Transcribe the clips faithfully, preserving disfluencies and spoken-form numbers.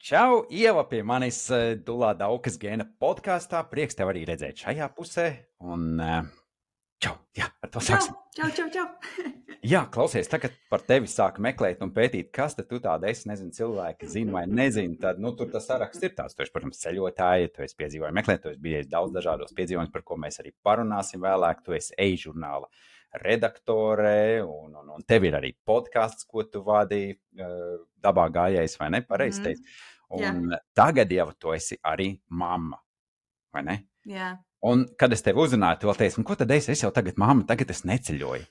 Čau, Ieva, pie manis eh, Dulā Daukas gēna podkāstā. Prieks tev arī redzēt šajā pusē. Un eh, čau, jā, ar to Čau, sāksim. čau, čau, čau. Jā, klausies, tagad par tevi sāku meklēt un pētīt, kas tad tu tāda esi, nezinu, cilvēki zina vai nezina. Tad, nu, tur tas saraksts ir tāds. Tu esi, protams, ceļotāji, tu esi piedzīvoji meklēt, tu esi bijis daudz dažādos piedzīvojumus, par ko mēs arī parunāsim vēlāk. Tu esi e-žurnāla redaktore, un, un, un tev ir arī podkāsts, ko tu vadīji, uh, dabā gājējs, vai ne? Pareizi teici. Mm, un jā. Tagad jau tu esi arī mamma, vai ne? Jā. Un, kad es tevi uzrunāju, tu vēl teici, ko tad es, es jau tagad mamma, tagad es neceļoju.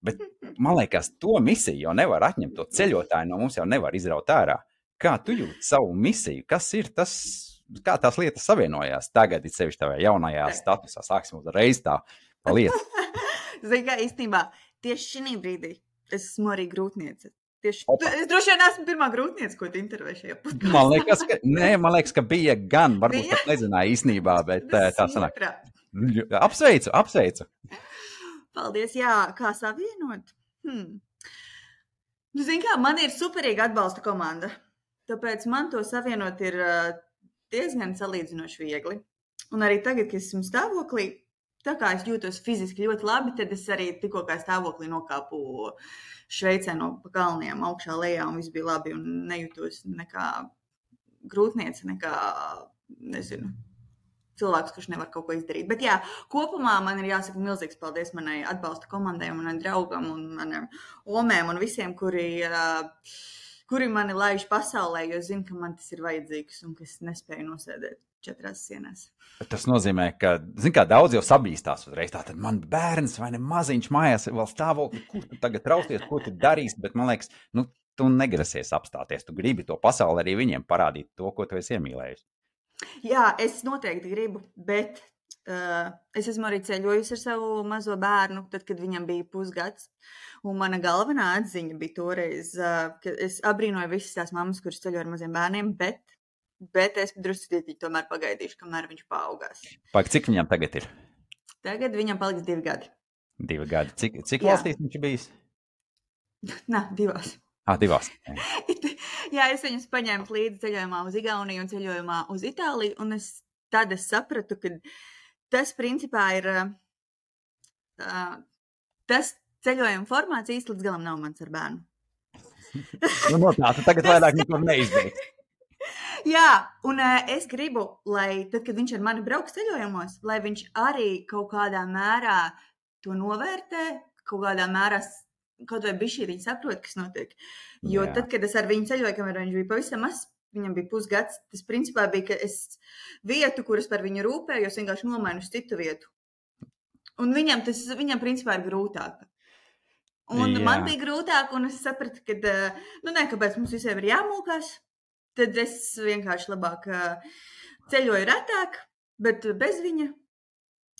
Bet, man liekas, to misiju jau nevar atņemt, to ceļotāju no mums jau nevar izraut ārā. Kā tu jūti savu misiju? Kas ir tas, kā tās lietas savienojās tagad, it sevišķi tavā jaunajā statusā? Sāksim uzreiz tā pa lietu. Zini, kā īstenībā, tieši šī brīdī es esmu arī grūtniece. Tieši, tu, es droši vien esmu pirmā grūtniece, ko tu intervēji šajā podkāstā. Man liekas, ka, nē, man liekas, ka bija gan, varbūt pat nezināju īstenībā, bet tā sanāk. Apsveicu, apsveicu. Paldies, jā, kā savienot? Hmm. Nu, zini kā, man ir superīga atbalsta komanda, tāpēc man to savienot ir uh, diezgan salīdzinoši viegli. Un arī tagad, kad esmu stāvoklī, tā kā es jūtos fiziski ļoti labi, tad es arī tikko kā stāvoklī nokāpu Šveicē no pa kalniem augšā lejā un viss bija labi un nejūtos nekā grūtniece, nekā, nezinu, cilvēks, kurš nevar kaut ko izdarīt. Bet jā, kopumā man ir jāsaka milzīgs paldies manai atbalsta komandai un manai draugam un manam omēm un visiem, kuri, uh, kuri mani laiž pasaulē, jo zinu, ka man tas ir vajadzīgs un ka es nespēju nosēdēt četrās sienās. Tas nozīmē, ka, zin kā, daudz jau sabīstās uzreiz. Tātad man bērns vai ne maziņš mājās vēl stāvokli, kur tu tagad trausties, ko tu darīsi, bet man liekas, nu, tu negrasies apstāties. Tu gribi to pasauli arī viņiem parādīt to, ko tu esi iemīlējusi. Jā, es noteikti gribu, bet uh, es esmu arī ceļojusi ar savu mazo bērnu, tad, kad viņam bija pusgads. Un mana galvenā atziņa bija toreiz, uh, ka es abrīnoju visas tās mammas, kuras ceļo ar maziem bērniem, bet Bet es drusku tomēr pagaidīšu, kamēr viņš paaugās. Pag, cik viņam tagad ir? Tagad viņam paliks divi gadi. Divi gadi. Cik, cik valstīs viņš ir bijis? Nā, divās. Ah, divās. Jā, es viņus paņēmu līdzi ceļojumā uz Igauniju un ceļojumā uz Itāliju, un es, tad es sapratu, ka tas principā ir, uh, tas ceļojuma formāts īsti līdz galam nav mans ar bērnu. Nu, no tā, tu tagad vairāk nekur neizbeigts. Jā, un uh, es gribu, lai tad, kad viņš ar mani brauks ceļojumos, lai viņš arī kaut kādā mērā to novērtē, kaut kādā mērā, kaut vai bišķītiņi saprot, kas notiek. Jo Jā. Tad, kad es ar viņu ceļoju, kamēr viņš bija pavisam mazs, viņam bija pusgads, tas principā bija, ka es vietu, kuras par viņu rūpējos, vienkārši nomainu uz citu vietu. Un viņam tas, viņam principā ir grūtāk. Un Jā. Man bija grūtāk, un es sapratu, ka, uh, nu ne, kāpēc mums visiem ir jāmūkās. Tad es vienkārši labāk ceļoju retāk, bet bez viņa.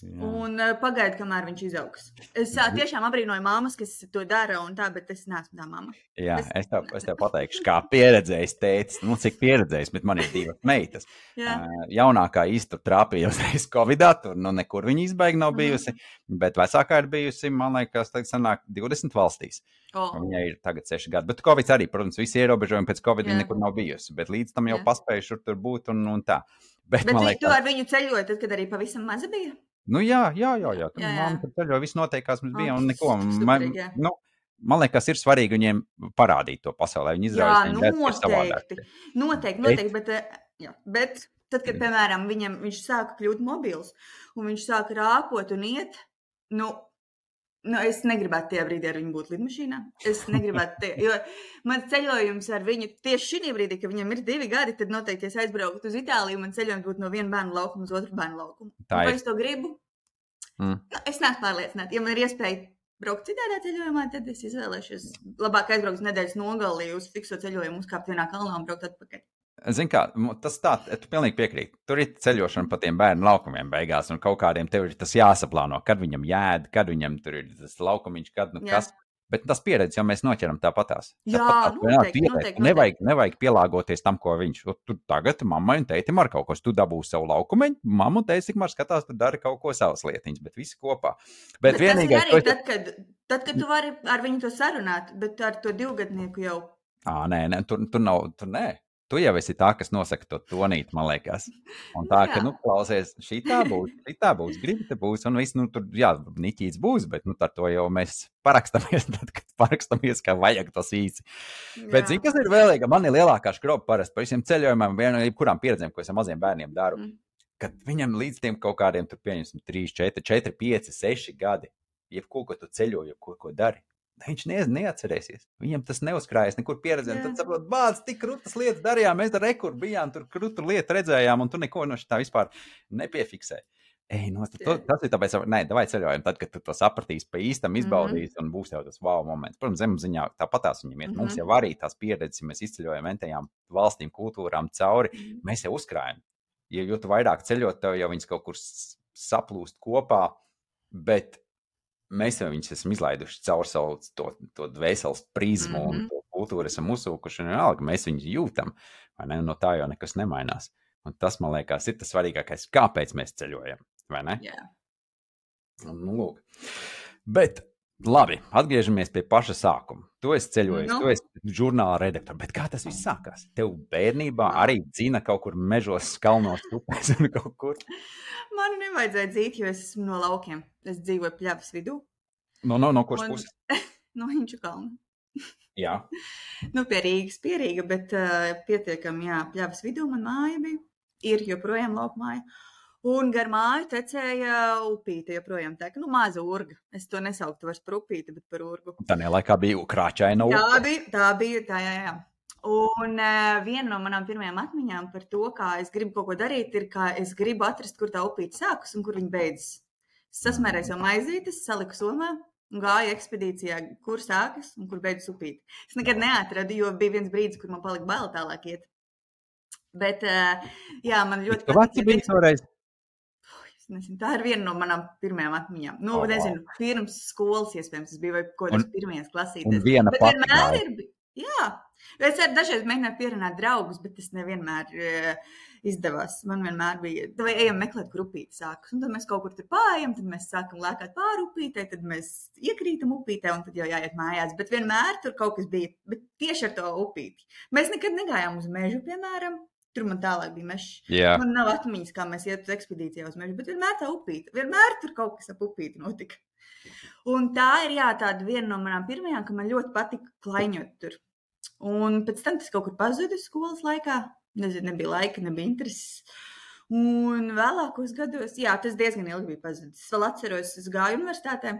Jā. Un pagaidu, kamēr viņš izaugs. Es tiešām abrīnoju mammas, kas to dara un tā, bet es neesmu tā mamma. Jā, es, es, tev, es tev pateikšu, kā pieredzējis tētis, nu cik pieredzējis, bet man ir divas meitas. Uh, jaunākā īsti trāpīja uzreiz Covidā, tur nu nekur viņa izbaigi nav bijusi, mm. bet vecākā ir bijusi, man liekas, tagad sanāk divdesmit valstīs. Oh. Viņai ir tagad seši gadi, bet Covid arī, protams, visi ierobežojumi pēc Covid viņa nekur nav bijusi, bet līdz tam jau paspējuši tur būt un, un tā. Bet, bet liekas, tu ar viņu ceļoji, tad, kad arī pavisam maza bija? Nu jā, jā, jā, jā. Tur mamma tur ceļoja, viss noteikās mums bija un neko. Man, nu, man liekas, ir svarīgi viņiem parādīt to pasaulē. Viņi izrādās, jā, noteikti, noteikti, noteikti, bet, jā, bet tad, kad, piemēram, viņam, viņš sāka kļūt mobils un viņš sāka rāpot un iet, nu, nu es negribētu tajā brīdī ar viņu būt lidmašīnā. Es negribētu tie, jo man ceļojums ar viņu tieši šī brīdī, ka viņam ir divi gadi, tad noteikti es aizbrauktu uz Itāliju, man ceļojums būtu no viena bērnu laukuma uz otru bērnu laukumu. Vai es to gribu? Mm. Nu, es neesmu pārliecināta. Ja man ir iespēja braukt citādā ceļojumā, tad es izvēlēšos labāk aizbraukt uz nedēļas nogalī uz fikso ceļojumu, uzkāpt vienā kalnā un braukt atpakaļ. Zini kā, tas tā, tu pilnīgi piekrīt. Tur ir ceļošana pa tiem bērnu laukumiem beigās, un kaut kādiem tev ir tas jāsaplāno, kad viņam jēd, kad viņam tur ir tas laukumiņš, kad nu kas. Bet tas pieredzi jau mēs noķeram tāpatās. Jā, tāpatās, noteikti, noteikti, noteikti. Nevajag, nevajag pielāgoties tam, ko viņš. Tu tagad mammai un tētim ar kaut ko, tu dabūsi savu laukumiņu, mamma un tētis tikmēr skatās, tu dari kaut ko savas lietiņas, bet visi kopā. Bet, bet vienīgais, tas ir arī tad, kad, tad, kad tu vari ar viņu to sarunāt, bet ar to divgadnieku jau. Ā, nē, nē, tur, tur nav, tur nē. tu jau esi tā, kas nosaka to tonīt, man liekas. Un tā, ka, nu, klausies, šī tā būs, šī tā būs, gribi te būs, un viss, nu, tur, jā, niķīts būs, bet, nu, ar to jau mēs parakstamies, tad, kad parakstamies, ka vajag tas īsi. Jā. Bet, zini, kas ir vēlīga? Man ir lielākā škroba parasti par visiem ceļojumiem, vienam, kurām pieredzēm, ko es ar maziem bērniem daru, mm. kad viņam līdz tiem kaut kādiem, tur pieņemsim, trīs, četri, četri, pieci, seši gadi, jebko, ko tu ceļo, jebko, ko dari. Viņš ne, neatcerēsies. Viņam tas neuzkrājas nekur pieredzēm. Tad saprot, bāc, tik krūtas lietas darījām, mēs ar rekur bijām, tur krūtu lietu redzējām, un tu neko no šitā vispār nepiefiksē. Ej, no, to, tas ir tāpēc, nē, davai ceļojam, tad, kad tu to sapratīsi pa īstam, izbaudīsi, mm-hmm. un būs jau tas wow moments. Protams, zemapziņā tāpatās viņam iet. Mm-hmm. Mums jau arī tās pieredzes, ja mēs izceļojam entajām valstīm, kultūrām cauri, mm-hmm. mēs jau uzkrājam. Ja, jo tu vairāk ceļot, tev jau viņas kaut kur saplūst kopā, bet mēs jau viņus esam izlaiduši caur savu to, to dvēseles prizmu mm-hmm. un to kultūru esam uzsūkuši, un vienalga, mēs viņus jūtam, vai ne? No tā jau nekas nemainās. Un tas, man liekas, ir tas svarīgākais, kāpēc mēs ceļojam, vai ne? Jā. Yeah. Nu, lūk. Bet, labi, atgriežamies pie paša sākuma. Tu esi ceļojis, no. Tu esi žurnāla redaktors, bet kā tas viss sākās? Tev bērnībā arī dzina kaut kur mežos, kalnos, upēs un kaut kur? Man nevajadzēja dzīt, jo es esmu no laukiem. Es dzīvoju Pļavas vidū. No, no, no kuras puses? No Hinču kalna. Jā. Nu, pie Rīgas, pie Rīga, bet uh, pietiekami, jā, Pļavas vidū man māja bija. Ir joprojām lauka māja. Un gar māju tecēja upīte joprojām teka. Nu, maza urga. Es to nesauktu vairs par upīti, bet par urgu. Tā laikā bija krāčaina upe. Tā bija, tā bija, tā jā, jā. Un uh, viena no manām pirmajām atmiņām par to, kā es gribu kaut ko darīt, ir, kā es gribu atrast, kur tā upīte sākas un kur viņa beidzas. Es sasmērēju savu maizītes, saliku somā un gāju ekspedīcijā, kur sākas un kur beidzas upīte. Es nekad neatradu, jo bija viens brīdis, kur man palika bail tālāk iet. Bet, uh, jā, man ļoti patīk. Tu biji toreiz? Es nezinu, tā ir viena no manām pirmajām atmiņām. Nu, oh, nezinu, wow. Pirms skolas iespējams, tas bija vai kaut kādas pirmajās klasītēs. Un viena bet vienmēr ir, jā. Es arī dažreiz mēģināju pierunāt draugus, bet tas nevienmēr uh, izdevās. Man vienmēr bija, vai ejam meklēt, kur upīte sākas. Un tad mēs kaut kur tur pājam, tad mēs sākam lēkāt pāri upītei, tad mēs iekrītam upītei un tad jau jāiet mājās. Bet vienmēr tur kaut kas bija, bet tieši ar to upīti. Mēs nekad negājām uz mežu, piemēram. Tur man tālāk bija mežs. Yeah. Man nav atmiņas, kā mēs iet uz ekspedīcijā uz mežu, bet vienmēr tā upīte. Vienmēr tur kaut kas ap upīti notika. Un tā ir, jā, tāda viena no manām pirmajām, ka man ļoti patika klaiņot tur. Un pēc tam tas kaut kur pazuda skolas laikā. Nezinu, nebija laika, nebija intereses. Un vēlākos gados, jā, tas diezgan ilgi bija pazudis. Es vēl atceros, es gāju universitātē.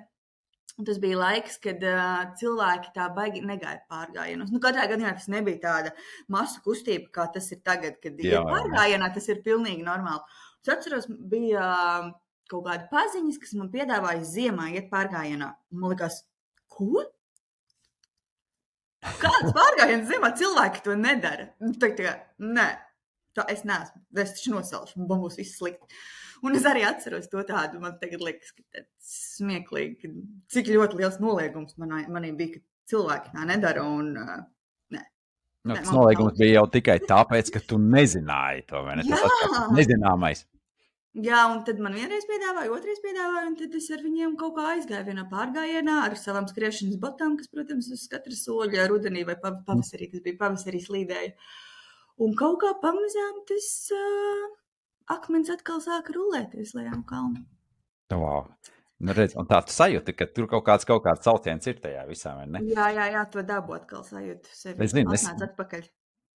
Un tas bija laiks, kad uh, cilvēki tā baigi negāja pārgājienos. Nu, katrā gadījumā tas nebija tāda masu kustība, kā tas ir tagad, kad ir pārgājienā, tas ir pilnīgi normāli. Es atceros, bija uh, kaut kāda paziņas, kas man piedāvāja ziemā iet pārgājienā. Man likās, ko? Kāds pārgājiens ziemā? Cilvēki to nedara. Tā kā, nē, tā es neesmu. Es taču nosalšu, man būs viss slikti. Un es arī atceros to tādu, man tagad liekas, ka tāds smieklīgi, cik ļoti liels noliegums manā, manī bija, ka cilvēki tā nedara un uh, nē. No, tas noliegums bija jau tikai tāpēc, ka tu nezināji to, vai ne? Jā. Tas tas nezināmais. Jā, un tad man vienreiz piedāvāja, otrais piedāvāja, un tad es ar viņiem kaut kā aizgāju vienā pārgājienā ar savām skriešanas botām, kas, protams, uz katra soļa rudenī vai pavasarī, tas bija pavasarī slīdēja. Un kaut kā pamazām tas uh, akmens atkal sāka rulēties lejām kalnu. Wow. Nu, redz, un tā tu sajūti, ka tur kaut kāds, kaut kāds sauciens ir tajā visā, vai ne? Jā, jā, jā, to dabu atkal sajūtu sevi. Es zinu, es... Atnāc atpakaļ.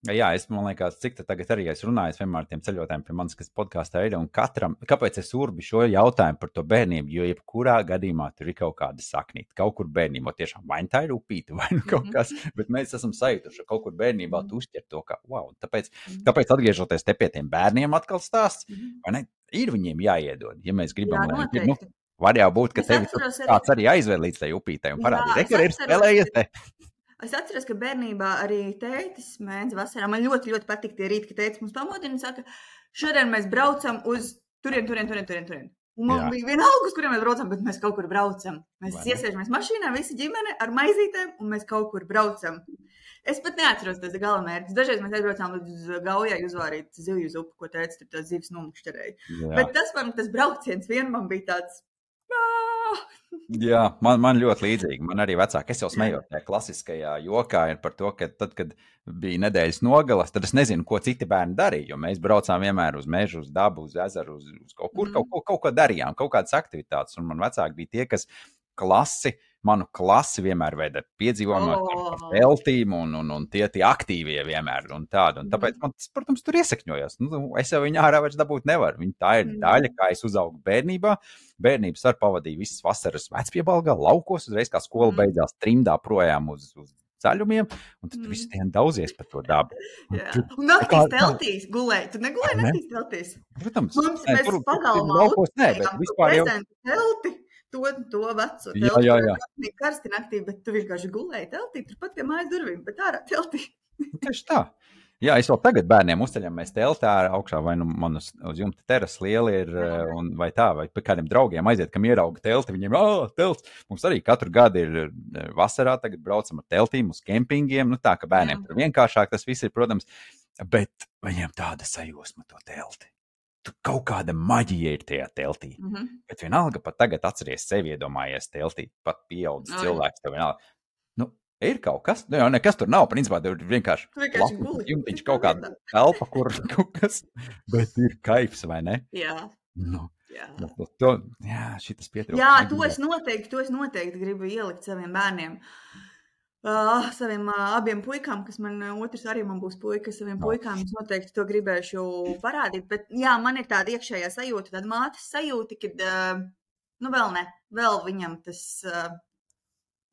Jā, es man liekas, cik te tagad arī es runāju vienmēr tiem ceļotājiem pie manis, kas podkāstā ir, un katram, kāpēc es urbi šo jautājumu par to bērnību, jo jebkurā gadījumā tur ir kaut kāda saknīta, kaut kur bērnībā tiešām vai tā ir upīte, vai nu kaut kas, bet mēs esam sajutuši, kaut kur bērnībā tu uzķer to, ka, wow, tāpēc, tāpēc atgriežoties te pie tiem bērniem atkal stāsts, vai ne, ir viņiem jāiedod, ja mēs gribam, jā, lai, nu, var jau būt, ka tevi kāds arī aizved līdz tai upītei un parādīja, re, ir spēlējies te. Es atceros, ka bērnībā arī tētis mēdz vasarā. Man ļoti, ļoti patīk tie rīti, ka tētis mums pamodina un saka, šodien mēs braucam uz turien, turien, turien, turien, turien. Un man Jā. bija vienalga, uz kuriem mēs braucam, bet mēs kaut kur braucam. Mēs iesēžamies mašīnā, visi ģimene ar maizītēm, un mēs kaut kur braucam. Es pat neatceros tas galamērķis. Dažreiz mēs aizbraucām uz Gaujai uzvārīt zivju zupu, ko tētis tur tās zivs nomukšķerēja. Bet tas man, tas brauciens vien man bija tāds... Jā, man, man ļoti līdzīgi. Man arī vecāki, es jau smējos tajā klasiskajā jokā ir par to, ka tad, kad bija nedēļas nogalas, tad es nezinu, ko citi bērni darīja, jo mēs braucām vienmēr uz mežu, uz dabu, uz ezeru, uz, uz kaut kur, mm. kaut, kaut, kaut ko darījām, kaut kādas aktivitātes, un man vecāki bija tie, kas klasi, manu klasi vienmēr veda piedzīvojumā oh. ar teltīm, un, un, un tie tie aktīvie vienmēr, un tādu, un tāpēc man, protams, tur iesakņojās. Nu, es jau viņu ārā vairs dabūt nevaru, viņa tā ir daļa, kā es uzaugu bērnībā. Bērnības ar pavadīju visas vasaras vecpiebalgā, laukos, uzreiz kā skola beidzās trimdā projām uz, uz zaļumiem, un tad mm. visu dienu daudzies par to dabu. Un, tu, un naktīs teltīs gulēji. Tu negulēji ne? Naktīs teltīs? Protams. Mums mēs tur, pagalmā laukos, nē, bet vispār jau... telti, to, to veco telti. Jā, jā, jā. Bija karsti naktī, bet tu vienkārši gulēji teltī, turpat pie mājas durvīm, bet ārā teltī. Tieši tā. Jā, es vēl tagad bērniem uzceļamies teltā augšā, vai nu man uz, uz jumta teras liela ir, un, vai tā, vai pie kādiem draugiem aiziet, kam ierauga telti, viņiem, ā, telts. Mums arī katru gadu ir vasarā, tagad braucam ar teltīm uz kempingiem, nu tā, ka bērniem tur vienkāršāk tas viss ir, protams, bet viņiem tāda sajūsma to telti. Tu kaut kāda maģija ir tajā teltī, mm-hmm. bet vienalga pat tagad atceries sevi iedomājies teltī, pat pieaudzis oh, cilvēks, tev vienalga. Nu, ir kaut kas, nu jau nekas tur nav, principā tev ir vienkārši, vienkārši guli. Jumtiņš kaut kāda telpa, kur kaut kas, bet ir kaifs, vai ne? Jā. Nu, jā. Nu, to, jā, šitas pietrūkst. Jā, to es noteikti, to es noteikti gribu ielikt saviem bērniem. Uh, saviem uh, abiem puikām, kas man, otrs arī man būs puika, saviem no. puikām es noteikti to gribēšu parādīt, bet jā, man ir tāda iekšējā sajūta, tāda mātes sajūta, kad, uh, nu vēl ne, vēl viņam tas, uh,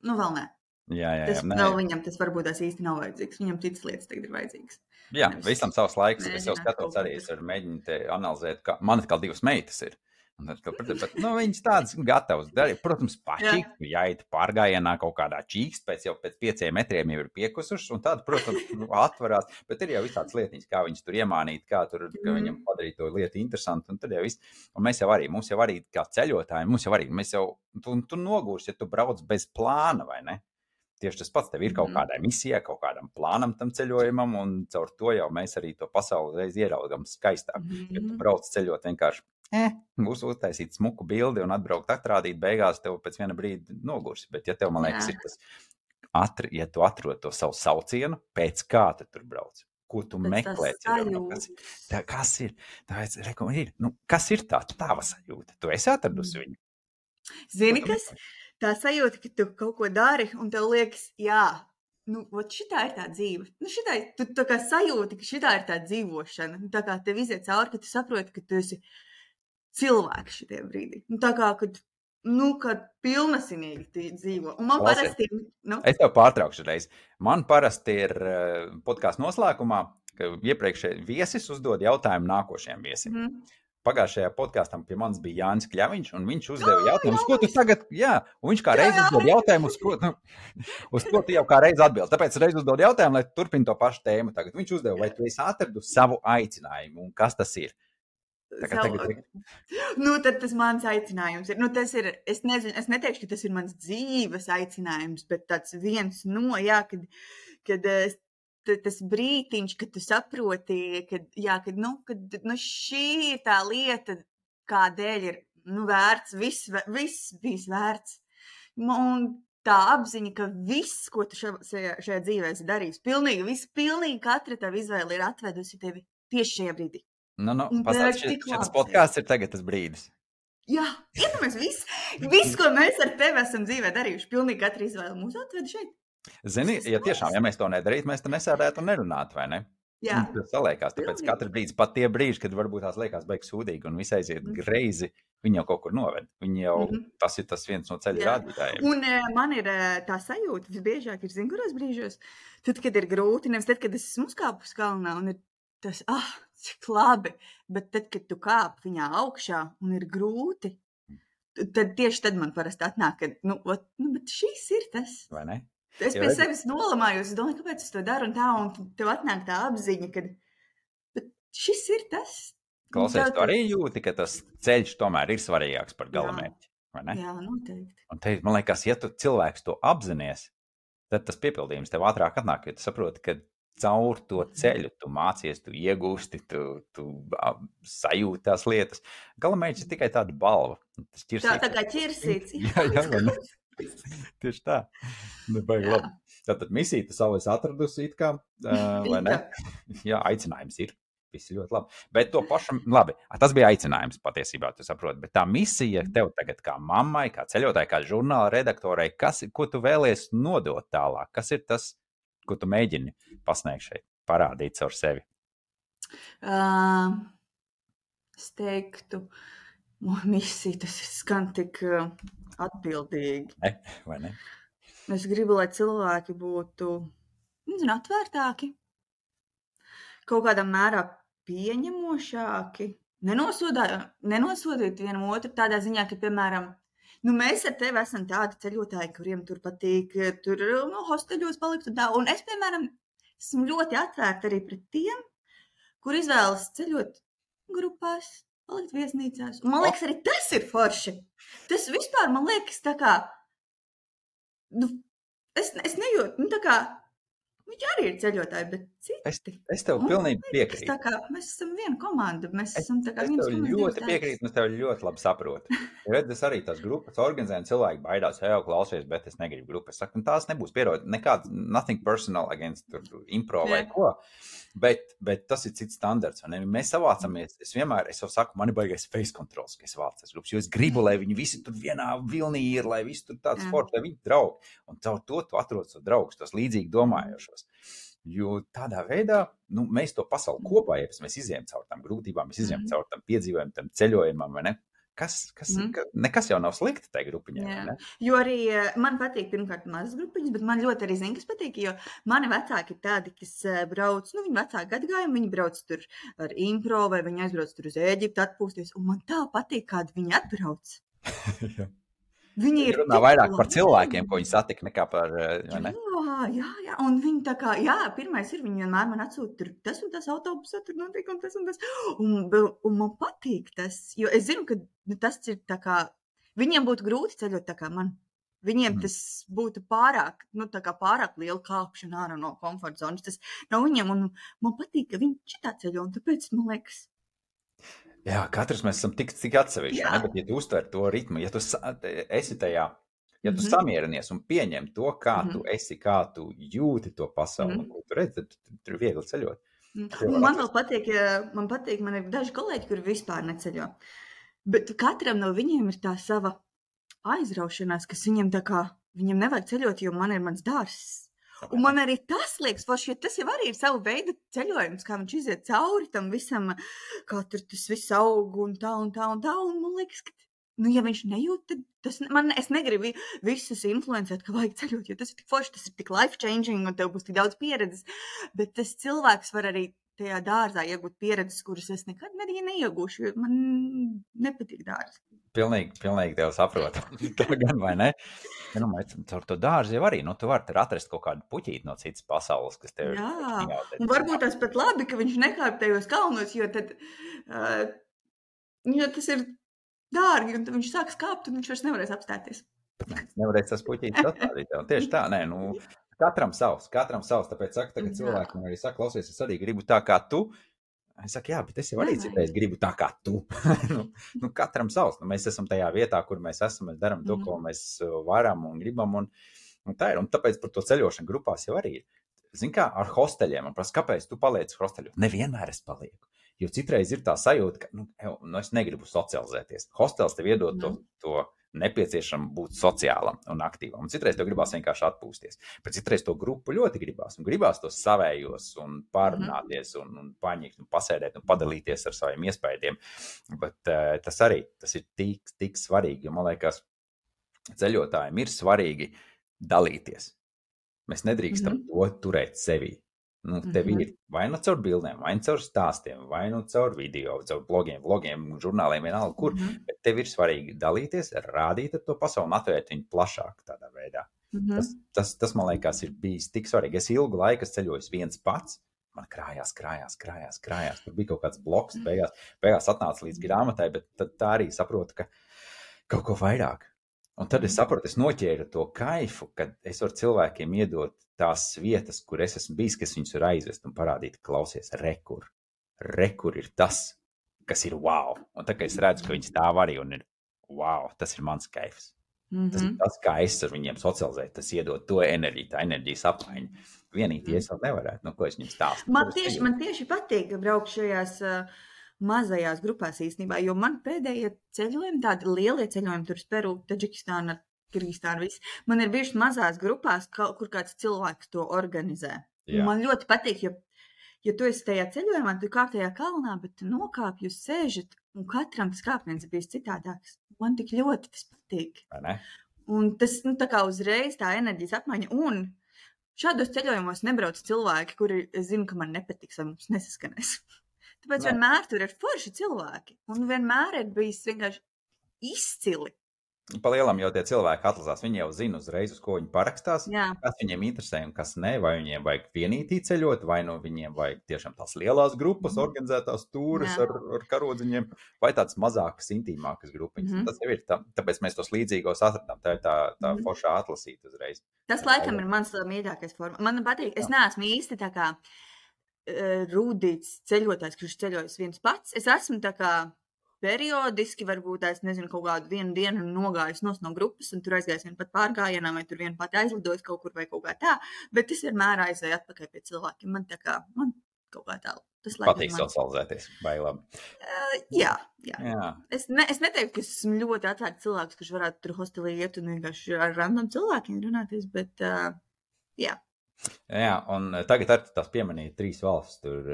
nu vēl ne. Jā, jā, jā. Tas Nē. vēl viņam tas varbūt tās īsti nav vajadzīgs. Viņam citas lietas tagad ir vajadzīgas. Jā, Nevis, visam savs laiks. Es jau skatos arī, es varu mēģināt te analizēt, ka man atkal divas meitas ir. Un, bet, nu, viņas tādas gatavas darīt. Protams, paši jāiet pārgājienā kaut kādā čīkst, pēc jau pēc pieciem metriem jau ir piekusušas, un tāda, protams, atvarās. Bet ir jau visādas lietiņas, kā viņas tur iemānīt, kā tur, ka viņam padarīt to lietu interesantu, un tad jau viss. Un mēs jau arī, mums jau arī kā ceļotāji, mums jau arī, mēs jau, tu, tu nogūrs, ja tu brauc bez plāna, vai ne? Tieši tas pats, tev ir kaut kādai misijai, kaut kādam plānam tam ceļojumam, un caur to jau mēs arī to pasauli reiz ieraugam skaistāk. Mm-hmm. Ja tu brauc ceļot vienkārši, eh, būs uztaisīt smuku bildi un atbraukt atrādīt, beigās tev pēc viena brīdi nogursi. Bet ja tev, man liekas, ir tas, atri, ja tu atrod to savu saucienu, pēc kā tu tur brauc? Ko tu bet meklē? Ceļojumā? Kas, tā, kas ir? Tāpēc, reku, ir? Nu, kas ir tā tava sajūta? Tu esi atradusi viņu? Zini, kas? Tā sajūta, ka tu kaut ko dari, un tev liekas, jā, nu, ot, šitā ir tā dzīve. Nu, šitā, tu tā kā sajūti, ka šitā ir tā dzīvošana. Tā kā tev iziet cauri, ka tu saproti, ka tu esi cilvēks šitie brīdī. Nu, tā kā, kad, nu, kad pilnasinīgi dzīvo. Un man Klausies, parasti ir, nu. Es tev pārtraukšu reiz. Man parasti ir uh, podkāstu noslēgumā, ka iepriekšēji viesis uzdod jautājumu nākošajiem viesim. Mm. Pagājušajā podkāstam pie manis bija Jānis Kļaviņš, un viņš uzdeva jautājumu, uz ko tu tagad, jā, un viņš kā reiz uzdod jautājumu, uz ko, nu, uz ko tu jau kā reiz atbildi. Tāpēc reiz uzdod jautājumu, lai turpin to pašu tēmu. Tagad viņš uzdeva, vai tu esi atradu savu aicinājumu, un kas tas ir? Tagad, Savu... tagad... Nu, tad tas mans aicinājums ir, nu, tas ir, es nezinu, es neteikšu, ka tas ir mans dzīves aicinājums, bet tāds viens no, jā, kad, kad es tas brītiņš, kad tu saproti, kad, jā, kad, nu, kad, nu, šī ir tā lieta, kādēļ ir, nu, vērts, viss, viss bijis vērts. Un tā apziņa, ka viss, ko tu šajā, šajā dzīvē esi darījis, pilnīgi, viss, pilnīgi katra tava izvēle ir atvedusi tevi tieši šajā brīdī. Nu, nu, pasāc, šis, šis podkāsts ir tagad tas brīdis. Jā, iedomājies, viss, viss, ko mēs ar tevi esam dzīvē darījuši, pilnīgi katra izvēle mūs atveda šeit. Zini, ja tiešām, ja mēs to nedarītu, mēs te nesēdētu un nerunātu, vai ne? Jā. Tas saliekās, tāpēc katru brīdis, pat tie brīži, kad varbūt tās liekas beigas sūdīgi un viss aiziet mm. greizi, viņi jau kaut kur noved. Viņi jau, mm-hmm. tas ir tas viens no ceļa rādītājiem. Un uh, man ir uh, tā sajūta, visbiežāk ir, zin, kuros brīžos, tad, kad ir grūti, nevis tad, kad es esmu uzkāpus kalnā un ir tas, ah, cik labi, bet tad, kad tu kāp viņā augšā un ir grūti, tad tieši tad man parasti atnāk, ka, nu, ot, nu, bet šis ir tas. Vai ne? Es pie sevis nolamājos, es domāju, kāpēc es to daru un tā, un tev atnāk tā apziņa, ka šis ir tas. Klausies, tā, tu arī jūti, ka tas ceļš tomēr ir svarīgāks par galamērķi, vai ne? Jā, noteikti. Un te, man liekas, ja tu cilvēks to apzinies, tad tas piepildījums tev ātrāk atnāk, jo tu saproti, ka caur to ceļu, tu mācies, tu iegūsti, tu, tu sajūti tās lietas. Galamērķis ir tikai tāda balva. Tas ķirsīts, tā, tā kā ķirsīts. Jā, jā, vai ne? Tieši tā. Nebaigi labi. Tātad misija tu savu esi atradusi it kā, uh, vai ne? Jā, aicinājums ir. Viss ļoti labi. Bet to pašam, labi, tas bija aicinājums patiesībā, tu saproti. Bet tā misija tev tagad kā mammai, kā ceļotāji, kā žurnāla redaktorai, kas, ko tu vēlies nodot tālāk? Kas ir tas, ko tu mēģini pasniegt šeit, parādīt caur sevi? Uh, es teiktu, misija, tas skan tik uh, atbildīgi. Ne, vai ne? Es gribu, lai cilvēki būtu, nezinu, atvērtāki, kaut kādā mērā pieņemošāki, nenosodīt vienam otru tādā ziņā, ka, piemēram, nu, mēs ar tevi esam tādi ceļotāji, kuriem tur patīk, tur nu, hosteļos palikt un tā. Un es, piemēram, esmu ļoti atvērta arī pret tiem, kur izvēlas ceļot grupās, palikt viesnīcās. Un man liekas, arī tas ir forši. Tas vispār, man liekas, tā kā, nu, es, es nejūtu, nu, tā kā, viņi arī ir ceļotāji, bet citi. Es, es tev pilnīgi piekrītu. Tā kā mēs esam viena komanda, mēs es, esam tā kā es viens tev ļoti piekrītu, un es tev ļoti labi saprotu. Redz, es arī tās grupas organizēju, cilvēki baidās, jau klausies, bet es negribu grupas. Es saku, tās nebūs pierod, nekāds, nothing personal against impro vai yeah. ko. Bet, bet tas ir cits standards. Ne? Mēs savācamies, es vienmēr, es jau saku, man ir baigais face controls, ka es vācu tās grupas, jo es gribu, lai viņi visi tur vienā vilnī ir, lai visi tur tāds yeah. forts, lai viņi draugi. Un caur to tu atrod savu draugus, tos līdzīgi domājošos. Jo tādā veidā, nu, mēs to pasauli kopā, ja mēs izējām caur tām grūtībām, mēs izējām mm. caur tam piedzīvojumam, tam ceļojumam, vai ne? Kas, kas, mm. ka, nekas jau nav slikti tai grupiņai, vai ne? Jo arī man patīk pirmkārt mazas grupiņas, bet man ļoti arī zina, kas patīk, jo mani vecāki ir tādi, kas brauc, nu, viņi vecāki gadagājumi, viņi brauc tur ar impro, vai viņi aizbrauc tur uz Ēģiptu atpūsties, un man tā patīk, kādi viņi atbrauc. Viņi ir runā vairāk par cilvēkiem, ko viņi satika, nekā par, vai ne? Jā, jā, jā, un viņi tā kā, jā, pirmais ir, viņi vienmēr man atsūta tur, tas un tas autobusā, tur notiek, un tas un tas, un, un man patīk tas, jo es zinu, ka tas ir tā kā, viņiem būtu grūti ceļot tā kā man, viņiem mm. tas būtu pārāk, nu tā kā pārāk liela kāpšana ārā no komforta zonas, tas nav viņiem, un man patīk, ka viņi šitā ceļo, un tāpēc, man liekas, jā, katrs mēs esam tik, tik atsevišķi, ne? Bet ja tu uztver to ritmu, ja tu esi tajā, ja tu mm-hmm. samierinies un pieņem to, kā mm-hmm. tu esi, kā tu jūti to pasauli, mm-hmm. ko tu redzi, tad tur ir viegli ceļot. Mm-hmm. Man vēl patīk, man patīk, man ir daži kolēģi, kuri vispār neceļo, bet katram no viņiem ir tā sava aizraušanās, kas viņiem tā kā, viņiem nevajag ceļot, jo man ir mans dārsts. Un man arī tas liekas, forši, jo tas jau arī ir savu veidu ceļojums, kā viņš iziet cauri tam visam, kā tur tas viss aug un tā un tā un tā, un man liekas, ka, nu, ja viņš nejūt, tad tas, man, es negribu visus influencēt, ka vajag ceļot, jo tas ir tik forši, tas ir tik life-changing, un tev būs tik daudz pieredzes, bet tas cilvēks var arī tajā dārzā iegūt pieredzes, kuras es nekad nebiju neiegūšu, jo man nepatīk dārzi. Pilnīgi, pilnīgi tev saprotu. Tā gan, vai ne? Ja, nu, mēs caur to dārzi jau arī, nu, tu vari atrast kaut kādu puķīti no citas pasaules, kas tev ir. Jā, un varbūt tas pat labi, ka viņš nekāp tajos kalnos, jo tad, uh, jo tas ir dārgi, un tad viņš sāks kāpt, un viņš vairs nevarēs apstāties. Nevarēs tas puķītis atstādīt. Tieši tā, nē, nu, katram savs, katram savs, tāpēc saka, tagad cilvēki man arī saka, klausies, es arī gribu tā kā tu. Es saku, jā, bet es jau arī citreiz gribu tā kā tu. nu, nu, katram savs. Nu, mēs esam tajā vietā, kur mēs esam, mēs darām to, ko mēs varam un gribam. Un, un tā ir. Un tāpēc par to ceļošanu grupās jau arī ir. Zini kā, ar hosteļiem. Man prasa, kāpēc tu paliec hosteļos? Nevienmēr es palieku. Jo citreiz ir tā sajūta, ka nu, nu, es negribu socializēties. Hostels tev iedod to, to nepieciešam būt sociālam un aktīvam. Un citreiz tev gribās vienkārši atpūsties. Bet citreiz to grupu ļoti gribās. Un gribās tos savējos un pārunāties un, un paņikt un pasēdēt un padalīties ar saviem iespējiem. Bet uh, tas arī, tas ir tik, tik svarīgi. Jo man liekas, ceļotājiem ir svarīgi dalīties. Mēs nedrīkstam mm-hmm. to turēt sevī. Nu, tev mm-hmm. ir vai nu caur bildēm, vai nu caur stāstiem, vai nu caur video, caur blogiem, vlogiem, žurnāliem, vienalga kur, mm-hmm. bet tev ir svarīgi dalīties, rādīt ar to pasauli un atvērt viņu plašāk tādā veidā. Mm-hmm. Tas, tas, tas, man liekas, ir bijis tik svarīgi. Es ilgu laiku ceļoju viens pats, man krājās, krājās, krājās, krājās. Tur bija kaut kāds bloks, mm-hmm. beigās, beigās atnāca līdz grāmatai, bet tad tā arī saprotu, ka kaut ko vairāk. Un tad es saprotu, es noķēru to kaifu, kad es varu cilvēkiem iedot tās vietas, kur es esmu bijis, kas viņus var aizvest un parādīt, klausies, rekur. Rekur ir tas, kas ir wow. Un tā kā es redzu, ka viņi stāv arī un ir wow, tas ir mans kaifs. Mm-hmm. Tas ir tas, kā es ar viņiem socializēju, tas iedod to enerģiju, tā enerģijas apmaiņa. Vienīgi mm. es vēl nevarētu, no ko es viņiem stāstu. Man tieši, man tieši patīk braukt šajās uh, mazajās grupās īstenībā, jo man pēdējie ceļojumi, tādi lielie ceļojumi, tur Peru, Taģikistāna, Kirgistāna, viss. Man ir bijuši mazās grupās, kur kāds cilvēks to organizē. Man ļoti patīk, jo, jo tu esi tajā ceļojumā, tu kāp tajā kalnā, bet tu nokāpj, jūs sēžat, un katram tas kāpiens ir bijis citādāks. Man tik ļoti tas patīk. Un tas, nu, tā kā uzreiz tā enerģijas apmaiņa. Un šādos ceļojumos nebrauc cilvēki, kuri zinu, ka man nepatiks vai mums nesaskanēs. Tāpēc ne. Vienmēr tur ir forši cilvēki. Un vienmēr ir bijis vienkārši izcili. Pa lielam jau tie cilvēki atlasās, viņi jau zina uzreiz, uz ko viņi parakstās, Jā. Kas viņiem interesē un kas ne, vai viņiem vajag vienītī ceļot, vai no viņiem vajag tiešām tās lielās grupas, mm. organizētās tūras ar, ar karodziņiem, vai tādas mazākas, intīmākas grupiņas. Mm. Tas jau ir, tā, tāpēc mēs tos līdzīgos atradām, tā ir tā, tā mm. foršā atlasīt uzreiz. Tas laikam ir mans mīļākais forma. Man patīk, es neesmu īsti tā kā uh, rūdīts ceļotājs, kurš ceļojas viens pats. Es esmu tā kā periodiski, varbūt es nezinu, kaut kādu vienu dienu nogājus nos no grupas un tur aizgājis vien pat pārgājienā vai tur vien pat aizlidojis kaut kur vai kaut kā tā, bet es vienmēr aizēju atpakaļ pie cilvēkiem. Man tā kā, man kaut kā tā. Tas patīk man... socializēties, vai labi? Uh, jā, jā. jā. Es, ne, es neteiktu, ka esmu ļoti atvērts cilvēks, kurš varētu tur hostelī iet un vienkārši ar random cilvēkiem runāties, bet uh, jā. Jā, un tagad ar tās pieminēja trīs valstis, tur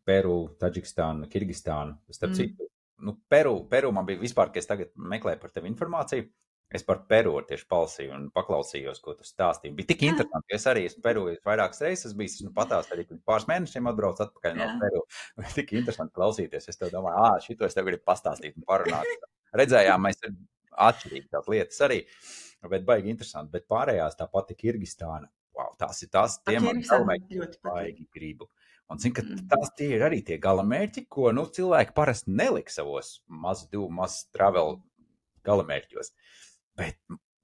Peru, Taģikistāna, Kirgistāna, starp mm. citu. Nu, Peru, Peru man bija vispār, ka es tagad meklēju par tevi informāciju. Es par Peru tieši palasīju un paklausījos, ko tu stāstīji. Bija tik interesanti, jo es arī esmu Peru vairākas reizes bijis, nu patās arī pāris mēnešiem atbrauc atpakaļ no Peru. Tik interesanti klausīties. Es tev domāju, ā, šito es tev gribu pastāstīt un parunāt. Redzējām, mēs ir atšķirīgi tās lietas arī, bet baigi interesanti. Bet pārējās tā pati Kirgistāna. Wow, tās ir tās, tie man galvenais baigi gribu. Un zinu, ka tās tie ir arī tie galamērķi, ko nu, cilvēki parasti neliks savos mazu divu, mazu travel galamērķos. Bet,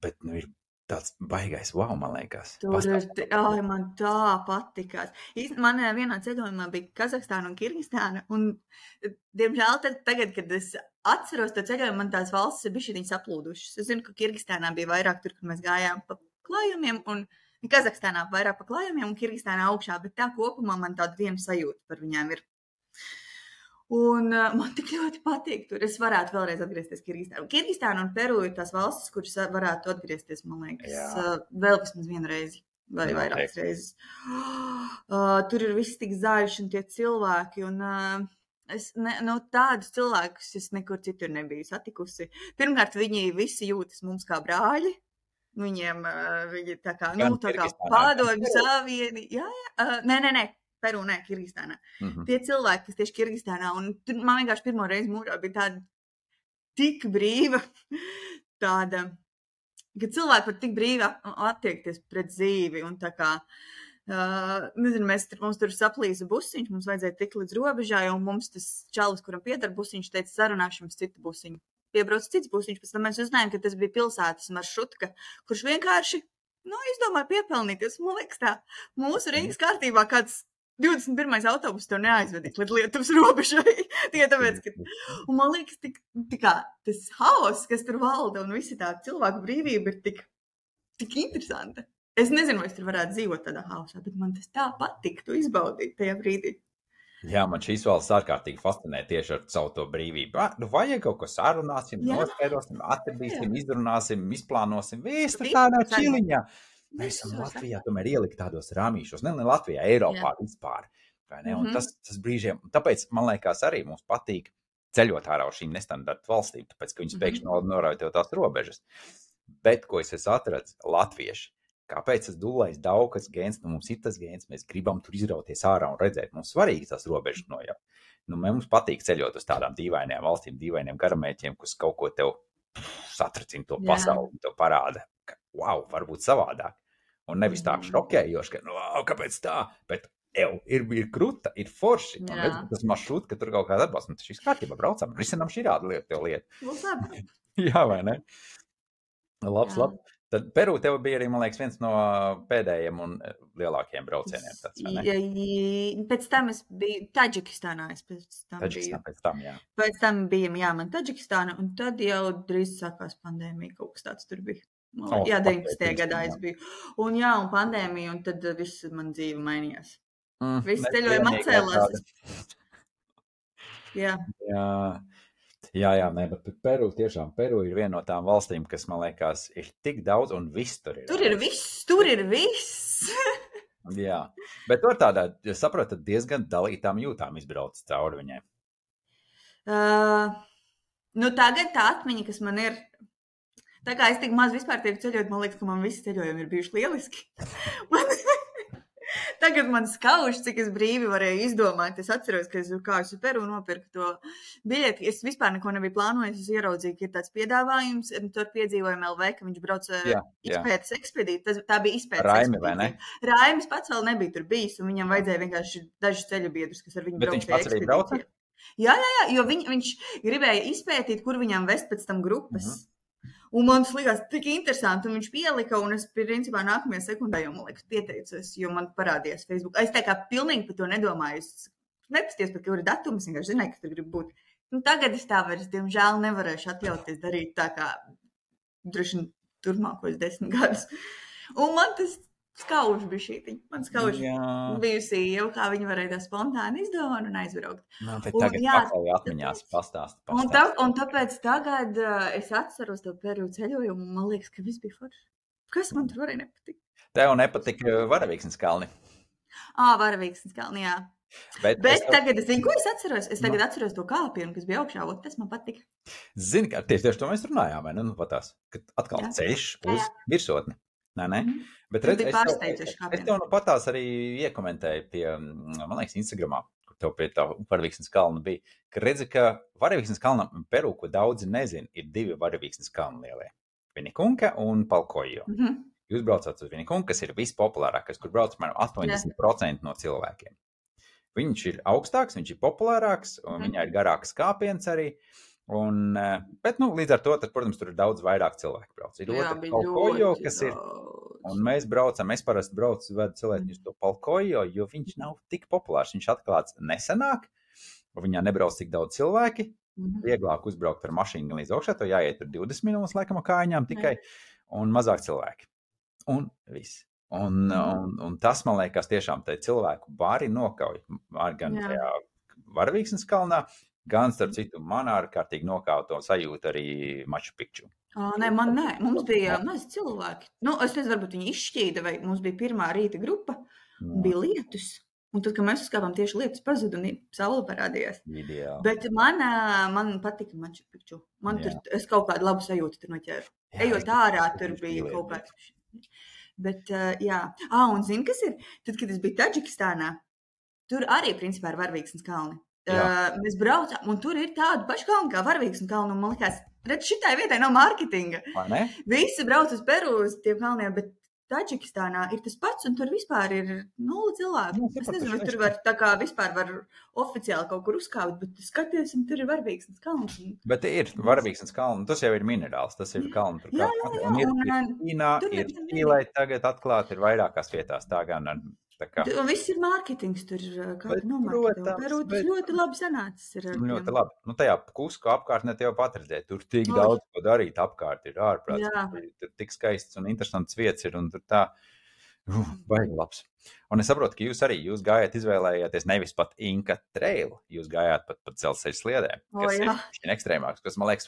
bet nu, ir tāds baigais wow, man liekas. Tur ir, ai, man tā patikās. Man vienā ceļojumā bija Kazahstāna un Kirgistāna, un diemžēl tad, tagad, kad es atceros to ceļojumu, man tās valstis ir bišķiņi saplūdušas. Es zinu, ka Kirgistānā bija vairāk tur, kad mēs gājām pa klājumiem, un Kazahstānā vairāk pa klājumiem un Kirgistānā augšā, bet tā kopumā man tāda viena sajūta par viņām ir. Un uh, man tik ļoti patīk tur. Es varētu vēlreiz atgriezties Kirgistānā. Kirgistāna un Peru ir tās valstis, kuras varētu atgriezties, man liekas, uh, vēl vismaz vienu reizi vai vairākas reizes. Uh, tur ir viss tik zaļš un tie cilvēki, un uh, es ne, no tādus cilvēkus es nekur citur nebiju satikusi. Pirmkārt, viņi visi jūtas mums kā brāļi. Viņiem, viņi tā kā, nu, tā kā padomju savieni, jā, jā, uh, nē, nē, nē, Peru, nē, Kirgistānā. Mm-hmm. Tie cilvēki, kas tieši Kirgistānā, un tur man vienkārši pirmo reizi mūžā bija tāda tik brīva, tāda, ka cilvēki var tik brīvi attiekties pret dzīvi, un tā kā, uh, nezinu, mēs, mums tur saplīsa busiņš, mums vajadzēja tikt līdz robežai, un mums tas čalis, kuram piedar busiņš, teica, sarunāšu jums citu busiņu. Piebrauc cits busiņš, pēc tam mēs uzzinājām, ka tas bija pilsētas maršrutka, kurš vienkārši, nu, izdomāja piepelnīties. Man liekas tā, mūsu Rīgas kārtībā kāds divdesmit pirmais autobus tev neaizvedīs līdz Lietuvas robežai. Tikai tāpēc, ka, un man liekas, tik, tikā, tas haoss, kas tur valda un visi tā cilvēku brīvība ir tik, tik interesanta. Es nezinu, vai es tur varētu dzīvot tādā haosā, bet man tas tā patiktu izbaudīt tajā brīdī. Jā, man šīs valsts ārkārtīgi fascinē tieši ar savu to brīvību. Ah, nu vajag kaut ko sarunāsim, nospērosim, atradīsim, izrunāsim, izplānosim, viss tur tādā čiliņā. Mēs esam Latvijā tomēr ielikt tādos rāmīšos, ne, ne Latvijā, Eiropā Jā. Vispār. Vai ne? Un mm-hmm. tas, tas brīžiem, tāpēc man liekas arī mums patīk ceļot ārā uz šīm nestandarta valstīm, tāpēc, ka viņas mm-hmm. pēkšņi norauj tev tās robežas. Bet, ko es esmu atradis, latvieši. Kāpēc tas dulais daukas gēns, nu mums ir tas gēns, mēs gribam tur izrauties ārā un redzēt, mums svarīgi tās robežas nojaut. Nu, mums patīk ceļot uz tādām dīvainajām valstīm, dīvainiem garamērķiem, kas kaut ko tev satracina to pasauli, tev parāda, ka, wow, varbūt savādāk. Un nevis tā šokējoši, ka, nu, wow, kāpēc tā, bet, ev, ir, ir kruta, ir forši. Un redz, tas maršrut, ka tur kaut kāda atbalsta, un tas šīs kārtībā braucam, risinām šī rāda lieta, tev lieta. Jā, vai ne? Labs, Jā. labs. Tad Peru tev bija arī, man liekas, viens no pēdējiem un lielākajiem braucieniem. Tāds, vai ne? Ja, ja, pēc tam es biju Taģikistānā. Es pēc tam Taģikistānā biju. pēc tam, jā. Pēc tam bija, jā, man Taģikistāna, un tad jau drīz sākās pandēmija, kaut kas tāds tur bija. Man, Oh, jā, ok, deviņpadsmitajā gadā jā. es biju. Un jā, un pandēmija, un tad viss man dzīve mainījās. Mm, Viss ne ceļojumi vienīgā atcēlās. tāda. Jā. Jā, jā, jā nē, bet Peru tiešām, Peru ir viena no tām valstīm, kas, man liekas, ir tik daudz, un viss tur ir. Tur ir viss, tur ir viss. Jā, bet tur tādā, ja saprotat, diezgan dalītām jūtām izbrauc cauri viņai. Uh, nu tagad tā atmiņa, kas man ir, tā kā es tik maz vispār tiek ceļot, man liekas, ka man visi ceļojumi ir bijuši lieliski. Man... Tagad man skauž, cik es brīvi varēju izdomāt. Es atceros, ka es kā es Peru nopirku to biļeti. Es vispār neko nebiju plānojis. Es ieraudzīju, ka ir tāds piedāvājums. Tur piedzīvojam L V, ka viņš brauc jā, izpētes ekspedīciju. Tas, tā bija izpētes Raimi, vai ne? Raimis pats vēl nebija tur bijis, un viņam vajadzēja vienkārši dažus ceļu biedrus, kas ar viņu brauc. Bet viņš pats arī brauca? Jā, jā, jā, jo viņ, viņš gribēja izpētīt, kur viņam vest pēc tam grupas. Mm-hmm. Un man tas likās tik interesanti, un viņš pielika, un es principā nākamajā sekundē jau, man liekas, pieteicos, jo man parādījās Facebook. Es tā kā pilnīgi par to nedomāju. Es nepasties par kuru datumu, es vienkārši zināju, ka tur grib būt. Nu, tagad es tā vairs, diemžēl, nevarēšu atļauties darīt tā kā droši turmākos desmit gadus. Un man tas skauž bija šī. Man skauž bijusi jau, kā viņi varēja tā spontāni izdomāt un aizbraukt. Nu, bet tagad un, jā, pakaļ atmiņās pastāst. pastāst. Un, tā, un tāpēc tagad uh, es atceros to Peru ceļojumu, un man liekas, ka viss bija forši. Kas man tur varēja nepatikt? Tev nepatika Varavīksnes kalni? Ā, Varavīksnes kalni, jā. Bet, bet es tev... tagad es zinu, ko es atceros. Es tagad no. atceros to kāpienu, kas bija augšā, un tas man patika. Zini, kā tieši, tieši to mēs runājām, vai ne? Nu, patās, kad atkal jā. ceļš uz jā, jā. virsotni. Nē, nē. Mm. Bet redz, es, tev, es, es tev nu patās arī iekomentēju pie, man liekas, Instagramā, kur tev pie tā Varavīksnes kalna bija, ka redzi, ka Varavīksnes kalnam Peru, ko daudzi nezin, ir divi Varavīksnes kalni lielie. Vinikunka un Palkojo. Mm -hmm. Jūs braucat uz Vinikunku, kas ir vispopulārākais, kur brauc man astoņdesmit procenti no cilvēkiem. Viņš ir augstāks, viņš ir populārāks, un mm -hmm. viņā ir garāks kāpiens arī. Un, bet, nu, līdz ar to, tad, protams, tur ir daudz vairāk cilvēku brauc. Ir jā, otra Palkojo, kas ir, un mēs braucam, es parasti braucu, vedu cilvēku uz to Palkojo, jo viņš nav tik populārs. Viņš atklāts nesenāk, viņā nebrauc tik daudz cilvēki, mm-hmm. vieglāk uzbraukt ar mašīnu līdz augšā, to jāiet tur divdesmit minūtes laikam ar kājām tikai, un mazāk cilvēki. Un viss. Un, mm-hmm. un, un tas, man liekas, tiešām te cilvēku bari nokauj, gan jā. tajā Varavīksnes kalnā, gan, starp citu, man ārkārtīgi nokauto sajūtu arī Machu Picchu. Ā, nē, man nē. Mums bija maz cilvēki. Nu, es nezinu, varbūt viņi izšķīda, vai mums bija pirmā rīta grupa, un bija lietus. Un tad, kad mēs uzkāpām, tieši lietus pazuda un saule parādījās. Ideāli. Bet man, man patika Machu Picchu. Man jā. tur, es kaut kādu labu sajūtu tur noķēru. Jā, Ejot ārā, tur bija kaut kāds. Bet, jā. Ā, un zini, kas ir? Tad, kad es biju Taģikistānā, tur arī, principā, ir Varavīksnes kalni. Uh, mēs braucām, un tur ir tāda paša kalna kā Varavīksnes kalna, un man likās, redz, šitai vietai nav mārketinga. Visi brauc uz Peru uz tiem kalniem, bet Taģikistānā ir tas pats, un tur vispār ir nula cilvēku. Nu, es nezinu, vai tur var tā kā vispār var oficiāli kaut kur uzkāpt, bet skaties, un tur ir Varavīksnes kalns. Un... Bet ir Varavīksnes kalna, tas jau ir minerāls, tas ir kalna. Tur jā, jā, jā. Un ir, un, ir Ķīnā, ir Čīlē tagad atklāt, ir vairākās vietās tā gan ar... Kā... Un viss ir mārketings, tur kāda nomārketē. Peru tas ļoti labi sanācis. Ir ļoti labi. Nu, tajā Kusku apkārtnē tev pat redzēt. Tur tik Oi. daudz, ko darīt apkārt ir ārprāts. Tur, tur tik skaists un interesants vietas ir un tur tā, uh, baigi labs. Un es saprotu, ka jūs arī, jūs gājāt izvēlējāties nevis pat Inka trailu, jūs gājāt pat pat dzelzceļa sliedēm, kas o, ir ekstrēmāks, kas man liekas,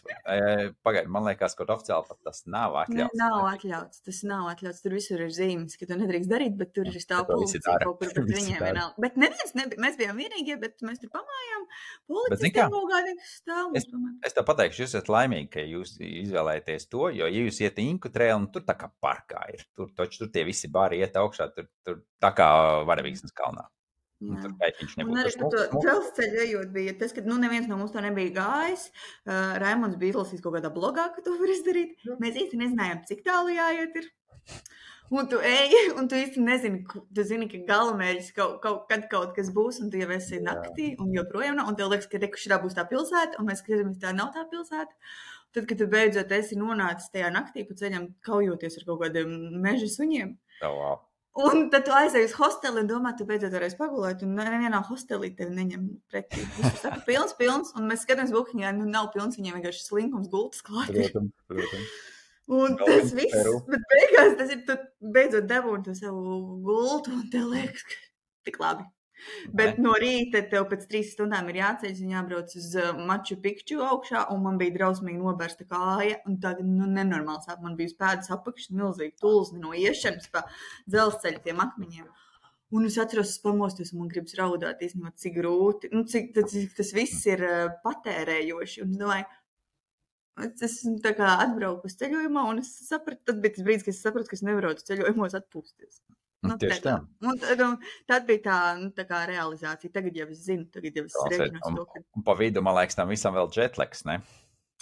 pagaid, man liekas, kaut oficiāli pat tas nav atļauts. Ne, nav atļauts, tas nav atļauts, tur visur ir zīmes, ka tu nedrīkst darīt, bet tur ir stāv policija kaut kur, bet viņiem vienalga. Bet neviens nebija, mēs bijām vienīgie, bet mēs tur pamājām, policija kaut kādā stāv. Es, es tā pateikšu, jūs esat laimīgi, ka jūs izvēlēties to, jo, ja jūs iet Inku trailu, tur tā kā parkā ir, tur taču tur tie visi bāri iet augšā, tur, tur tā kā Varavīksnes kalnā. Un tur pēķiņš nebūtu. Un arī par to dzelzceļu ejot bija tas, ka nu neviens no mums to nebija gājis. Uh, Raimonds bija izlasījis kaut kādā blogā, ka to var izdarīt. Mēs īsti nezinājām, cik tālu jāiet ir. Un tu ej, un tu īsti nezini, tu zini, ka galamērķis kaut, kaut, kad kaut kas būs, un tu jau esi naktī, un joprojām nav, un tev liekas, ka reku šitā būs tā pilsēta, un mēs skatāmies, tā nav tā pilsēta. tad, kad tu beidzot esi nonācis tajā naktī pa ceļam, kaujoties ar kaut kādiem meža suņiem. Oh, wow. Un tad tu aizēji uz hosteli un domā, tu beidzot varēsi pagulēt, un nevienā hostelī tevi neņem pretī. Viņš saka, pilns, pilns, un mēs skatāmies bukiņā, nu nav pilns, viņiem vienkārši slinkums gultas klāt. Protams, protams. Un Vēl tas viens viss, Peru. bet beigās tas ir, tu beidzot dabūni to savu gultu, un tev liekas, ka tik labi. Bet no rīta tev pēc trīs stundām ir jāceļas un jābrauc uz uh, Maču Pikču augšā, un man bija drausmīgi nobērsta kāja, un tagad, nu, nenormāls sāp. Man bija pēdas apakšas milzīgi tulzni no iešanas pa dzelzceļa tiem akmeņiem. Un es atceros, es pamostos, un man gribas raudāt, īstenībā, cik grūti, nu, cik, cik tas viss ir uh, patērējoši. Un es domāju, es esmu tā kā atbrauku uz ceļojumā, un es sapratu, tad bija tas brīdis, kad es sapratu, ka es nevaru uz ceļojumos atpūsties. Nu, Tieši tā. Un, un, tad bija tā, nu, tā kā realizācija. Tagad jau es zinu, tagad jau es rēķinos Un, to, ka... un pa vidu, man liekas, tam visam vēl jetlags, ne?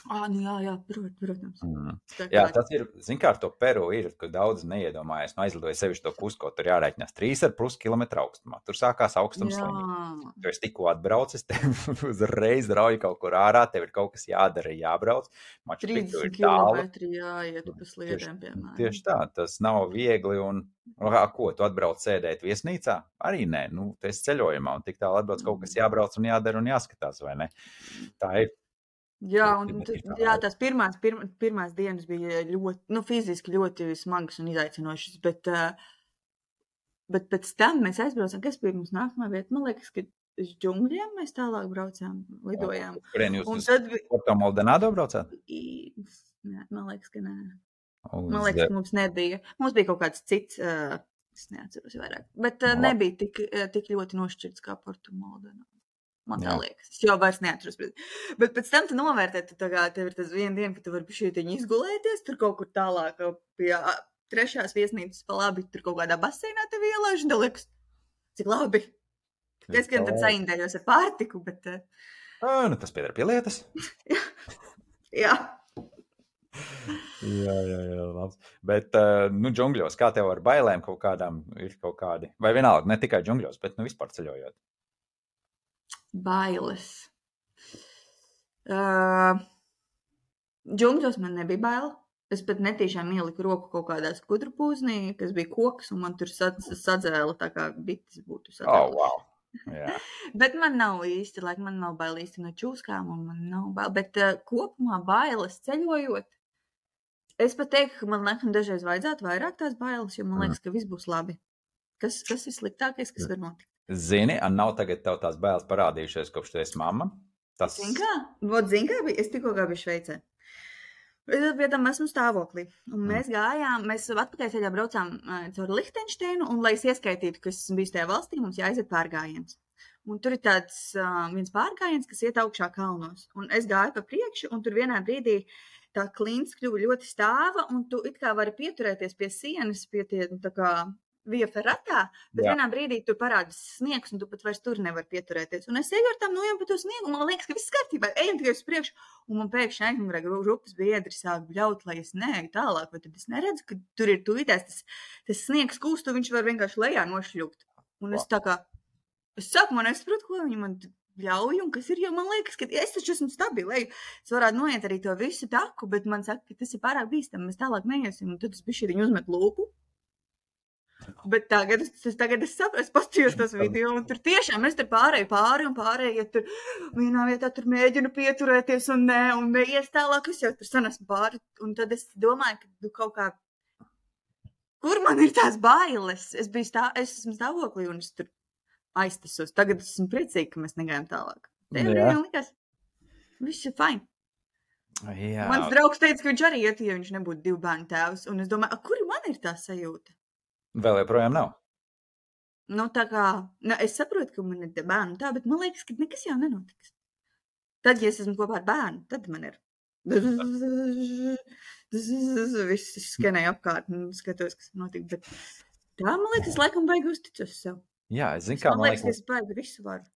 Ā, nu jā, jā, prot, protams. Mm. Tā Jā, kā- tas ir, zin kā ar to Peru ir, ka daudz neiedomājas, nu aizlidoja sevišķi to Kusko, tur jārēķinās trīs ar plus kilometru augstumā. Tur sākās augstums Jā. sliņi. Tu esi tikko atbraucis, tev uzreiz rauj kaut kur ārā, tev ir kaut kas jādara, jābrauc. Maču Pikču ir trīsdesmit tālu. kilometri jāiet pa sliedēm, piemēram. Tieši tā, tas nav viegli un, ā, ko, tu atbrauc sēdēt viesnīcā? Arī nē, nu, tu esi ceļojumā un tik tālu atbrauc kaut kas jābrauc un jādara un jāskatās, vai ne? Tā ir. Jā, un Definitīvi tu- tā jā, ir. tās pirmās, pirma, pirmās dienas bija ļoti, nu, fiziski ļoti smagas un izaicinošas, bet, uh, bet pēc tam mēs aizbraucām, kas bija mums nākamā vieta? Man liekas, ka uz džungļiem mēs tālāk braucām, lidojām. Kurien jūs Un uz tad bija, Porto Maldonado braucāt? I- nē, man liekas, ka nē. Uz, Man liekas, ka mums nebija. Mums bija kaut kāds cits, uh, es neatceros vairāk, bet uh, Nu, labi. nebija tik, uh, tik ļoti nošķirts kā Porto Maldonado. Man tā Jā. liekas. Es jau vairs neatceros. Bet, bet pēc tam tu novērtē, tu tā kā tev ir tas viena diena, ka tu vari šītiņi izgulēties, tur kaut kur tālāk pie ā, trešās viesnīcas pa labi, tur kaut kādā baseinā tev ielaiž, un tev liekas, cik labi. Es gan tad saindējos ar pārtiku, bet uh, Ā, nu tas piedara pie lietas. jā. Jā, jā, jā, labs. Bet, uh, nu, džungļos, kā tev ar bailēm kaut kādām ir kaut kādi? Vai vienalga, ne tikai džungļos, bet, nu, vispār ceļojot? Bailes. Uh, džungļos man nebija baila. Es pat netīšām ieliku roku kaut kādā skudru pūznī, kas bija koks, un man tur sad- sadzēla tā kā bites būtu Oh, sadzēla. wow. Jā. Bet man nav īsti, lai man nav baila īsti no čūskām, un man nav baila. Bet uh, kopumā bailes ceļojot, es pat teiktu, ka man laikam dažreiz vajadzētu vairāk tās bailes, jo man Mm. liekas, ka viss būs labi. Kas, kas ir sliktākais, kas var notikt? Zini, un nav tagad tev tās bailes parādījušies, kopš tu esi mamma? Tas... Zini kā? Vot, zini kā bija? Es tikko kā biju Šveicē. Es pie tam esmu stāvoklī. Un mēs gājām, mēs atpakaļ ceļā braucām uh, caur Lihtenšteinu, un, lai es ieskaitītu, kas bijis tajā valstī, mums jāiziet pārgājiens. Un tur ir tāds uh, viens pārgājiens, kas iet augšā kalnos. Un es gāju pa priekšu, un tur vienā brīdī tā klints kļuva ļoti stāva, un tu it kā vari pieturēties pie sienas, pie tie, nu, tā kā via ferratā, bet Jā. vienā brīdī tur parādās sniegs, un tu pat vairs tur nevar pieturēties. Un es eju ar tām nojām pa to sniegu, un man liekas, ka viss kārtībā, ejam tikai uz priekšu, un man pēkšņi aizmugurē grupas biedri sāk bļaut, lai es neeju tālāk, vai tad es neredzu, ka tur ir tūlītēs tas, tas sniegs kūst, un viņš var vienkārši lejā nošļūt. Un es tā kā, es sākumā nesaprotu, ko viņi man ļauj, un kas ir, jo man liekas, ka es taču esmu stabili, es varētu noiet arī to visu taku, bet man saka, ka tas ir pārāk bīstam, mēs tālāk neiesim, un tad es bišķi viņu uzmet lūpu. Bet tagad es, es, tagad es saprotu, es paskatījos tos video, un tur tiešām es tur pārēju pāri un pārēju, ja tur vienā vietā tur mēģinu pieturēties un ne, un neies tālāk, es jau tur sanesmu pāri, un tad es domāju, ka nu, kaut kā, kur man ir tās bailes? Es biju stā, es esmu stāvoklī, un es tur aiztasos. Tagad es esmu priecīga, ka mēs negājam tālāk. Tajā Jā. brīdī likās, viss ir fine. Jā. Mans draugs teica, ka viņš arī iet, ja viņš nebūtu divu bērnu tēvs, un es domāju, a, kur man ir tā sajūta? Vēl joprojām nav. Nu, tā kā, nu, es saprotu, ka man ir tie bērni tā, bet man liekas, ka nekas jau nenotiks. Tad, ja es esmu kopā ar bērnu, tad man ir viss skanēja apkārt un skatos, kas notika, bet tā, man liekas, es laikam baigi uzticos sev. Jā, es zinu, kā Man man liekas, liekas, es baigi visu varu.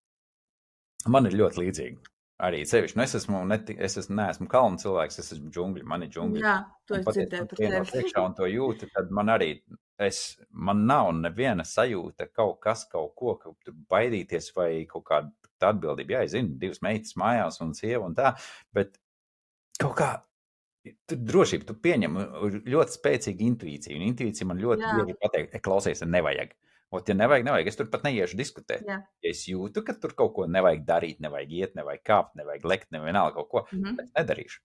man ir ļoti līdzīgi. Arī sevišķi, nu es esmu, neti, es esmu, neesmu kalnu cilvēks, es esmu džungļi, man ir džungļi. Jā, to Un es patiesi, dzirdēju kad par ienāk tevi. iekšā un to jūti, tad man arī, es, man nav neviena sajūta kaut kas, kaut ko, kaut tur baidīties vai kaut kāda atbildība. Jā, es zinu, divas meitas mājās un sieva un tā, bet kaut kā Tu drošība, tu pieņem ļoti spēcīgu intuīciju, un intuīcija man ļoti Jā. bieži pateikt, klausies, nevajag. Ot, ja nevajag, nevajag, es tur pat neiešu diskutēt. Jā. Ja es jūtu, ka tur kaut ko nevajag darīt, nevajag iet, nevajag kāpt, nevajag lekt, nevienalga kaut ko, Mhm. es nedarīšu.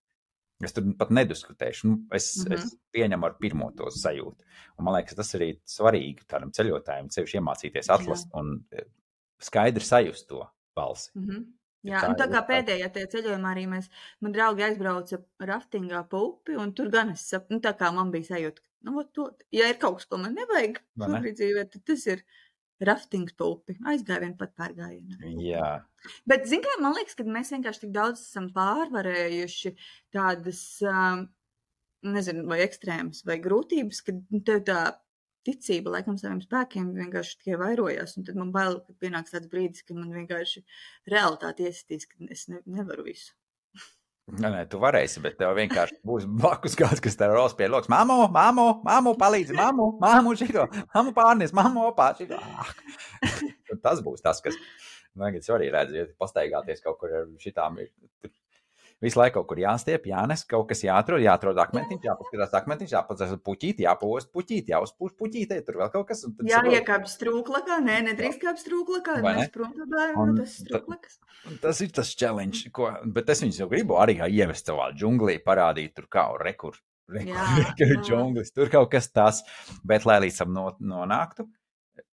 Es tur pat nediskutēšu. Nu, es, Mhm. es pieņemu ar pirmo to sajūtu. Un man liekas, tas arī svarīgi tādam ceļotājiem, sevišķi iemācīties atlast un eh, skaidri sajust to balsi. Mhm. Ja Jā, tā un tā ir kā tā- pēdējā tajā ceļojumā arī mēs, man draugi aizbrauca raftingā pa upi, un tur gan es saprotu, nu tā kā man bija sajūta, ka, nu, vot to, ja ir kaut kas, ko man nevajag Vai ne? šobrīd dzīvē, tad tas ir raftings pa upi. Aizgāja vien pat pārgājienā. Jā, Bet, zin kā, man liekas, ka mēs vienkārši tik daudz esam pārvarējuši tādas, um, nezinu, vai ekstrēmas, vai grūtības, ka nu, tev tā ticība laikam saviem spēkiem vienkārši tikai vairojās, un tad man bail, ka pienāks tāds brīdis, ka man vienkārši realitāte iesitīs, ka es ne, nevaru visu. nē, nē, tu varēsi, bet tev vienkārši būs blakus kāds, kas tev ros pie loks. Māmo, māmo, māmo, palīdzi, māmo, māmo šito, māmo pārnes, māmo opā šito. Ah. Tas būs tas, kas, tagad es arī redzu, ja pastaigāties kaut kur ar šitām, ir tur visu laiku kaut kur jāstiep, jānes, kaut kas jāatrod, jāatrod akmentiņš, jāpaskatās akmentiņš, jāpadzēs puķīt, jāpost puķīt, jāuzpūš puķītē, tur vēl kaut kas. Un tad Jā, saprot- iekāp strūklakā, nē, nedrīkst kāp strūklakā, Vai ne? mēs prom tā bērnu, Un tas ta- strūklakas. Un tas ir tas challenge, ko, bet es viņus jau gribu arī kā ievest savā džunglī, parādīt tur kā rekur, rekur, Jā, rekur jā. džunglis, tur kaut kas tas, bet lai līdz tam no, nonāktu,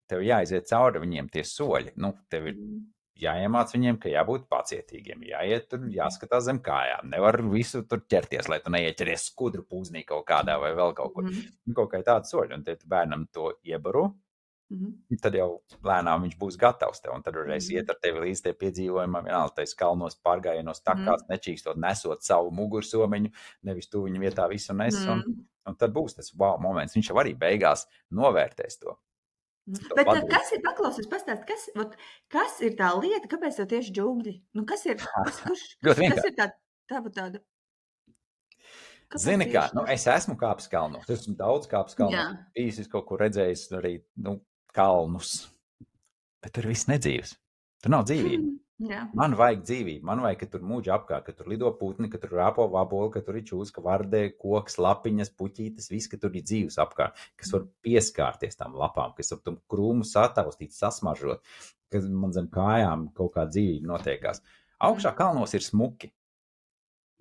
tev jāiziet cauri viņiem tie soļi, nu, tev ir jāiemāc viņiem, ka jābūt pacietīgiem, jāiet tur, jāskatās zem kājām, nevar visu tur ķerties, lai tu neieķeries skudru pūznī kaut kādā vai vēl kaut kur, Mhm. nu, kaut kā tāda soļa, un tad bērnam to iebaro, Mhm. tad jau lēnām viņš būs gatavs tev, un tad varēs Mhm. iet ar tevi līdz tie piedzīvojumam, vienalga tais kalnos, pārgājienos, takās, nečīkstot, nesot savu mugursomiņu, nevis tu viņu vietā visu nes, un, Mhm. un tad būs tas wow moments, viņš jau arī beigās novērtēs to. to Bet tā, padarīt. kas ir, paklausies, pastāst, kas, ot, kas ir tā lieta, kāpēc tev tieši džungļi? Nu, kas ir, kas, kurš, Ļoti kas vienkārši. ir tā, tā, tāda? Kāpēc Zini kā, tieši nu, tas? es esmu kāpis kalnos, es esmu daudz kāpis kalnos, Jā. bijis es kaut kur redzējis arī, nu, kalnus, bet tur viss nedzīvs, tur nav dzīvība. Jā. Man vajag dzīvību, man vajag, ka tur mūģi apkārt, ka tur lido putni, ka tur rāpo vaboli, ka tur ir čūska, vardē, koks, lapiņas, puķītes, viss, ka tur ir dzīves apkārt, kas var pieskārties tām lapām, kas var tam krūmu sataustīt, sasmažot, ka man zem kājām kaut kā dzīvība notiekās. Augšā kalnos ir smuki,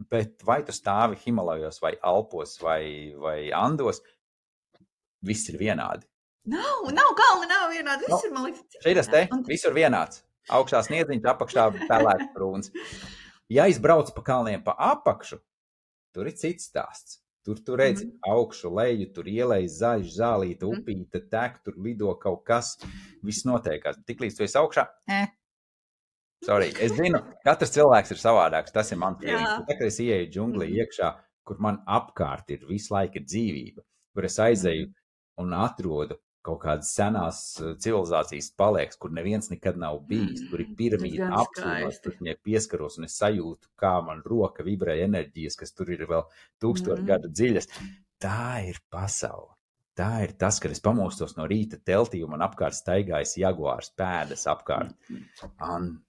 bet vai tu stāvi Himalajos vai Alpos vai, vai Andos, viss ir vienādi. Nav, nav kalni, nav vienādi. Viss Nu, ir, man liekas, cik Šeit te, Un- visur vienāds. Augšā sniedziņš, apakšā pelēks brūns. Ja izbrauc pa kalniem pa apakšu, tur ir cits stāsts. Tur tu redzi Mhm. augšu, leju, tur ielējas zaļš, zālīta, Mhm. upīte, tek, tur lido kaut kas, viss notiekās. Tiklīdz tu esi augšā, eh. Sorry, es zinu, katrs cilvēks ir savādāks, tas ir mans Jā. feelings. Bet tā, kad es ieeju džunglī Mhm. iekšā, kur man apkārt ir visu laiku ir dzīvība, kur es aizeju Mhm. un atrodu kaut kādas senās uh, civilizācijas palieks, kur neviens nekad nav bijis, tur ir Tas piramīda gan apcīmās, skaisti. tur viņai pieskaros un es sajūtu, kā man roka vibrē enerģijas, kas tur ir vēl tūkstoši Mhm. gadu dziļas. Tā ir pasaule. Tā ir tas, kad es pamostos no rīta teltī un man apkārt staigājas jaguārs pēdas apkārt. Un,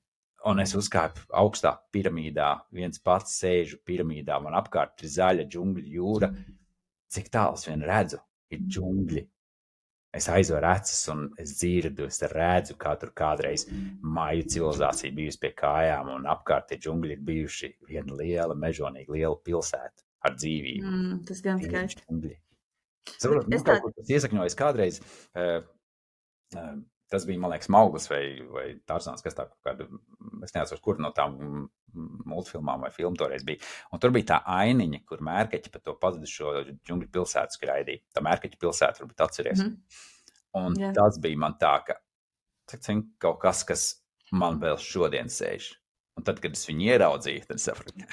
un es uzkāpu augstā piramīdā, viens pats sēžu piramīdā, man apkārt ir zaļa džungļu jūra. Cik tālu es vien redzu, ir džungļi. Es aizveru acis un es dzirdu, es redzu, kā tur kādreiz māju civilizācija bijusi pie kājām un apkārt tie džungļi ir bijuši viena liela, mežonīga, liela pilsēta ar dzīvību. Mm, tas gan skaisti. Džungļi. Saprot, Bet nu, es kaut tā- kur tas iesakņojas kādreiz. Uh, uh, tas bija, man liekas, Mauglis vai, vai Tarzāns, kas tā kaut kāda, es neatceros, kur no tām mm, multfilmām vai filmu toreiz bija. Un tur bija tā ainiņa, kur mērkeķi par to pazudušo džungļu pilsētu skraidīja. Tā mērkeķa pilsēta, varbūt atceries. Mhm. Un Jā. tas bija man tā, ka cik, cik, kaut kas, kas man vēl šodien sēž. Un tad, kad es viņu ieraudzīju, tad sapratu,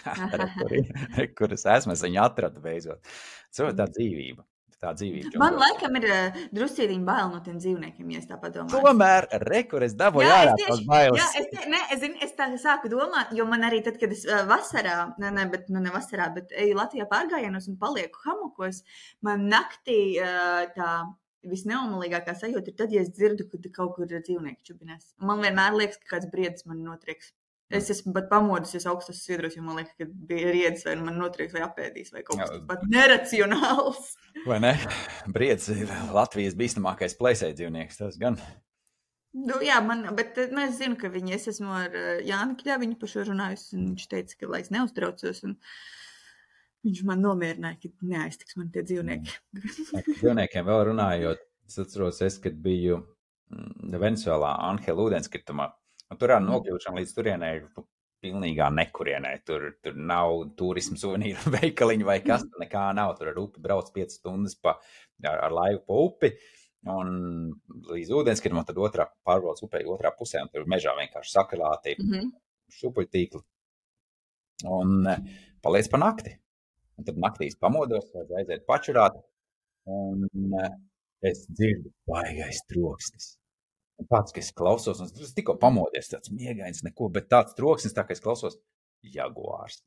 kur, ir, kur es esmu, es viņu atradu beidzot. So, tā dzīvība. Tā dzīvība. Man džungļos. laikam ir uh, druscītiņ bail no tiem dzīvniekiem, ja es tā padomāju. Tomēr, re, kur es dabūju Jā, ārā es tās tieši, bailes. jā, es, ne, es, zinu, es tā sāku domāt, jo man arī tad, kad es uh, vasarā, ne, ne, bet, nu, ne vasarā, bet eju Latvijā pārgājienos un palieku hamakos, man naktī uh, tā visneomalīgākā sajūta ir tad, ja es dzirdu, ka kaut kur ir dzīvnieki čubinās. Man vienmēr liekas, ka kāds briedis man notrieks. Es esmu pat pamodusies augstos sviedros, jo man liekas, ka bija riedzis vai man notrieks vai apēdīs vai kaut kas pat neracionāls. Vai ne? Briedis ir Latvijas bīstamākais plēsēji dzīvnieks, tas gan. Nu, jā, man, bet nu, es zinu, ka viņi, es esmu ar Jāni Kļaviņu par šo runājusi, un viņš teica, ka lai es neuztraucos, un viņš man nomierināja, ka neaiztiks man tie dzīvnieki. Dzīvniekiem vēl runājot, es atceros, es, kad biju Venezuelā Anhela ūdenskritumā, un tur ar nokļūšanu līdz turienē ir pilnīgā nekurienē. Tur, tur nav turismu suvenīru veikaliņu vai kas, tur nekā nav. Tur ar upi brauc piecas stundas pa, ar, ar laivu pa upi, un līdz ūdenskritumam, tad otrā pārbrauc upē otrā pusē, un tur mežā vienkārši sakrāti mm-hmm. šupuļtīkli. Un paliec pa nakti. Un tad naktīs pamodos, vajag aiziet pačurāt, un es dzirdu baigais troksnis. Un tāds, ka es klausos, un es tikko pamodies, tāds miegains neko, bet tāds troksnis, tā, ka es klausos, jaguārs.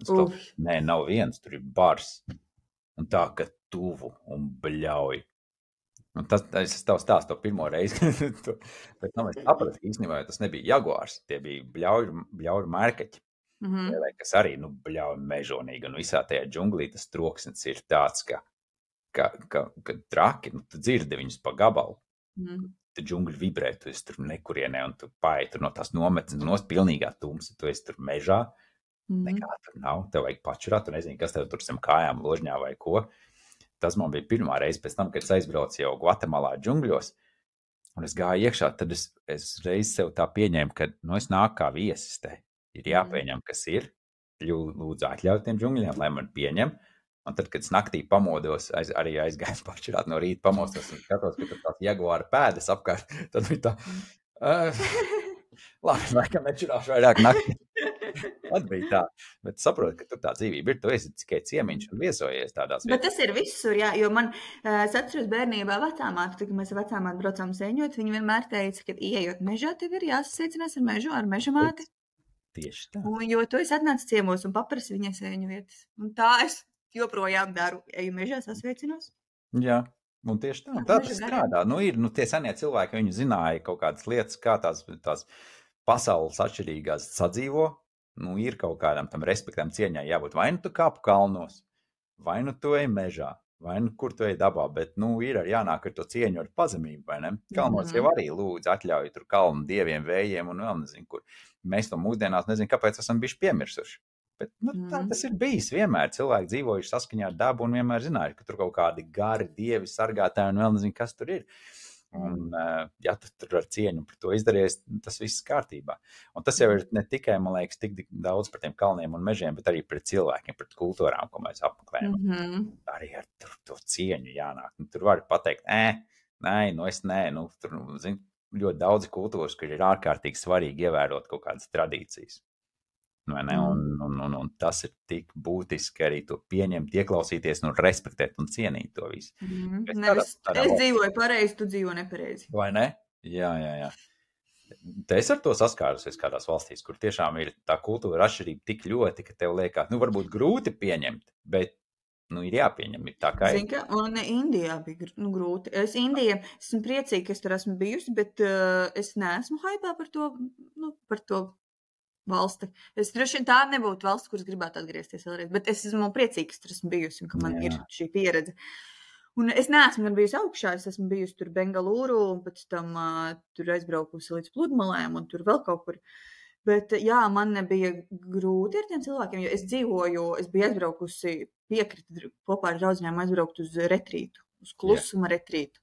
Klausos, nē, nav viens, tur ir bars. Un tā, ka tuvu un bļauj. Un tas, es tavu stāstu to pirmo reizi, bet tam es sapratu, īstenībā, tas nebija jaguārs, tie bija bļauju, bļauju mērkaķi, mm-hmm. kas arī, nu, bļauj mežonīgi, un visā tajā džunglī tas troksnis ir tāds, ka, ka, ka, ka traki, nu, tu dzirdi viņus pa gabalu. Mm-hmm. Tu džungļi vibrē, tu esi tur nekurienē, un tu pāji tur no tās nometnes, no pilnīgā tumsa, tu esi tur mežā, mm. nekā tur nav, tev vajag pačurāt, tu nezini, kas tev tur zem kājām ložņā vai ko. Tas man bija pirmā reize pēc tam, kad es aizbraucu jau Gvatemalā džungļos, un es gāju iekšā, tad es, es reiz sev tā pieņēmu, ka, nu, es nāku kā viesis te, ir jāpieņem, kas ir, lūdzu atļaut tiem džungļiem, lai man pieņem. Un tad, kad es naktī pamodos, aiz, arī aizgāju pačurāt no rīta pamostos un skatos, ka tur tās jaguāra pēdas apkārt, tad bija tā, uh, labi, laikam nečurāšu vairāk naktī. Tad bija tā, bet saprotu, ka tur tā dzīvība ir, tu esi tikai ciemiņš un viesojies tādās vietās. Bet tas ir visur, jā, jo man, es atceros bērnībā vecāmātu, kad mēs ar vecāmātu braucām sēņot, viņi vienmēr teica, ka ieejot mežā, tev ir jāsasveicinās ar mežu, ar mežamāti. Tieši tā. Un, jo tu esi atnācis ciemos un paprasi viņai sēņu vietas. Un tā es joprojām daru, eju mežā, sasveicinos. Jā, un tieši tā, tā tas strādā. Nu, ir, nu, tie senie cilvēki, viņi zināja kaut kādas lietas, kā tās, tās pasaules atšķirīgās sadzīvo. Nu, ir kaut kādam tam respektam cieņai jābūt. Vai nu tu kāpu kalnos, vai nu tu ej mežā, vai nu kur tu ej dabā, bet, nu, ir arī jānāk ar to cieņu ar pazemību, vai ne? Kalnos mm-hmm. jau arī lūdzu atļauju tur kalnu dieviem, vējiem un vēl nezinu, kur. Mēs to mūsdienās nezinu, kāpēc esam bišķi piemirsuši. Bet, nu, tā tas ir bijis vienmēr. Cilvēki dzīvojuši saskaņā ar dabu un vienmēr zinājuši, ka tur kaut kādi gari, dievi, sargātāji un vēl nezinu, kas tur ir. Un, ja tu tur ar cieņu par to izdaries, tas viss kārtībā. Un tas jau ir ne tikai, man liekas, tik daudz par tiem kalniem un mežiem, bet arī pret cilvēkiem, pret kultūrām, ko mēs apmeklējam. Mm-hmm. Arī ar tur, to cieņu jānāk. Nu, tur var pateikt, ē, nē, nu es nē, nu, tur, zin, ļoti daudzi kultūras, kur ir ārkārtīgi svarīgi ievērot kaut kādas tradīcijas. Vai ne? Un, un, un, un tas ir tik būtiski arī to pieņemt, ieklausīties un respektēt un cienīt to visu. Mm, nevis, tādā, es dzīvoju pareizi, tu dzīvo nepareizi. Vai ne? Jā, jā, jā. Te es ar to saskārusies kādās valstīs, kur tiešām ir tā kultūra atšķirība tik ļoti, ka tev liekas, nu varbūt grūti pieņemt, bet nu ir jāpieņem, ir tā kā ir. Zin, ka, un Indijā bija nu, grūti. Es Indija, esmu priecīga, ka es tur esmu bijusi, bet uh, es neesmu haipā par to, nu, par to valsti. Es droši vien tā nebūtu valsts, kuras gribētu atgriezties vēlreiz, bet es esmu priecīga, ka tur esmu bijusi un ka man Jā. Ir šī pieredze. Un es neesmu gan bijusi augšā, es esmu bijusi tur Bengalūru un pēc tam uh, tur aizbraukusi līdz pludmalēm un tur vēl kaut kur. Bet jā, man nebija grūti ar tiem cilvēkiem, jo es dzīvoju, es biju aizbraukusi piekrita kopā ar draudzinām aizbraukt uz retrītu, uz klusuma jā. Retrītu.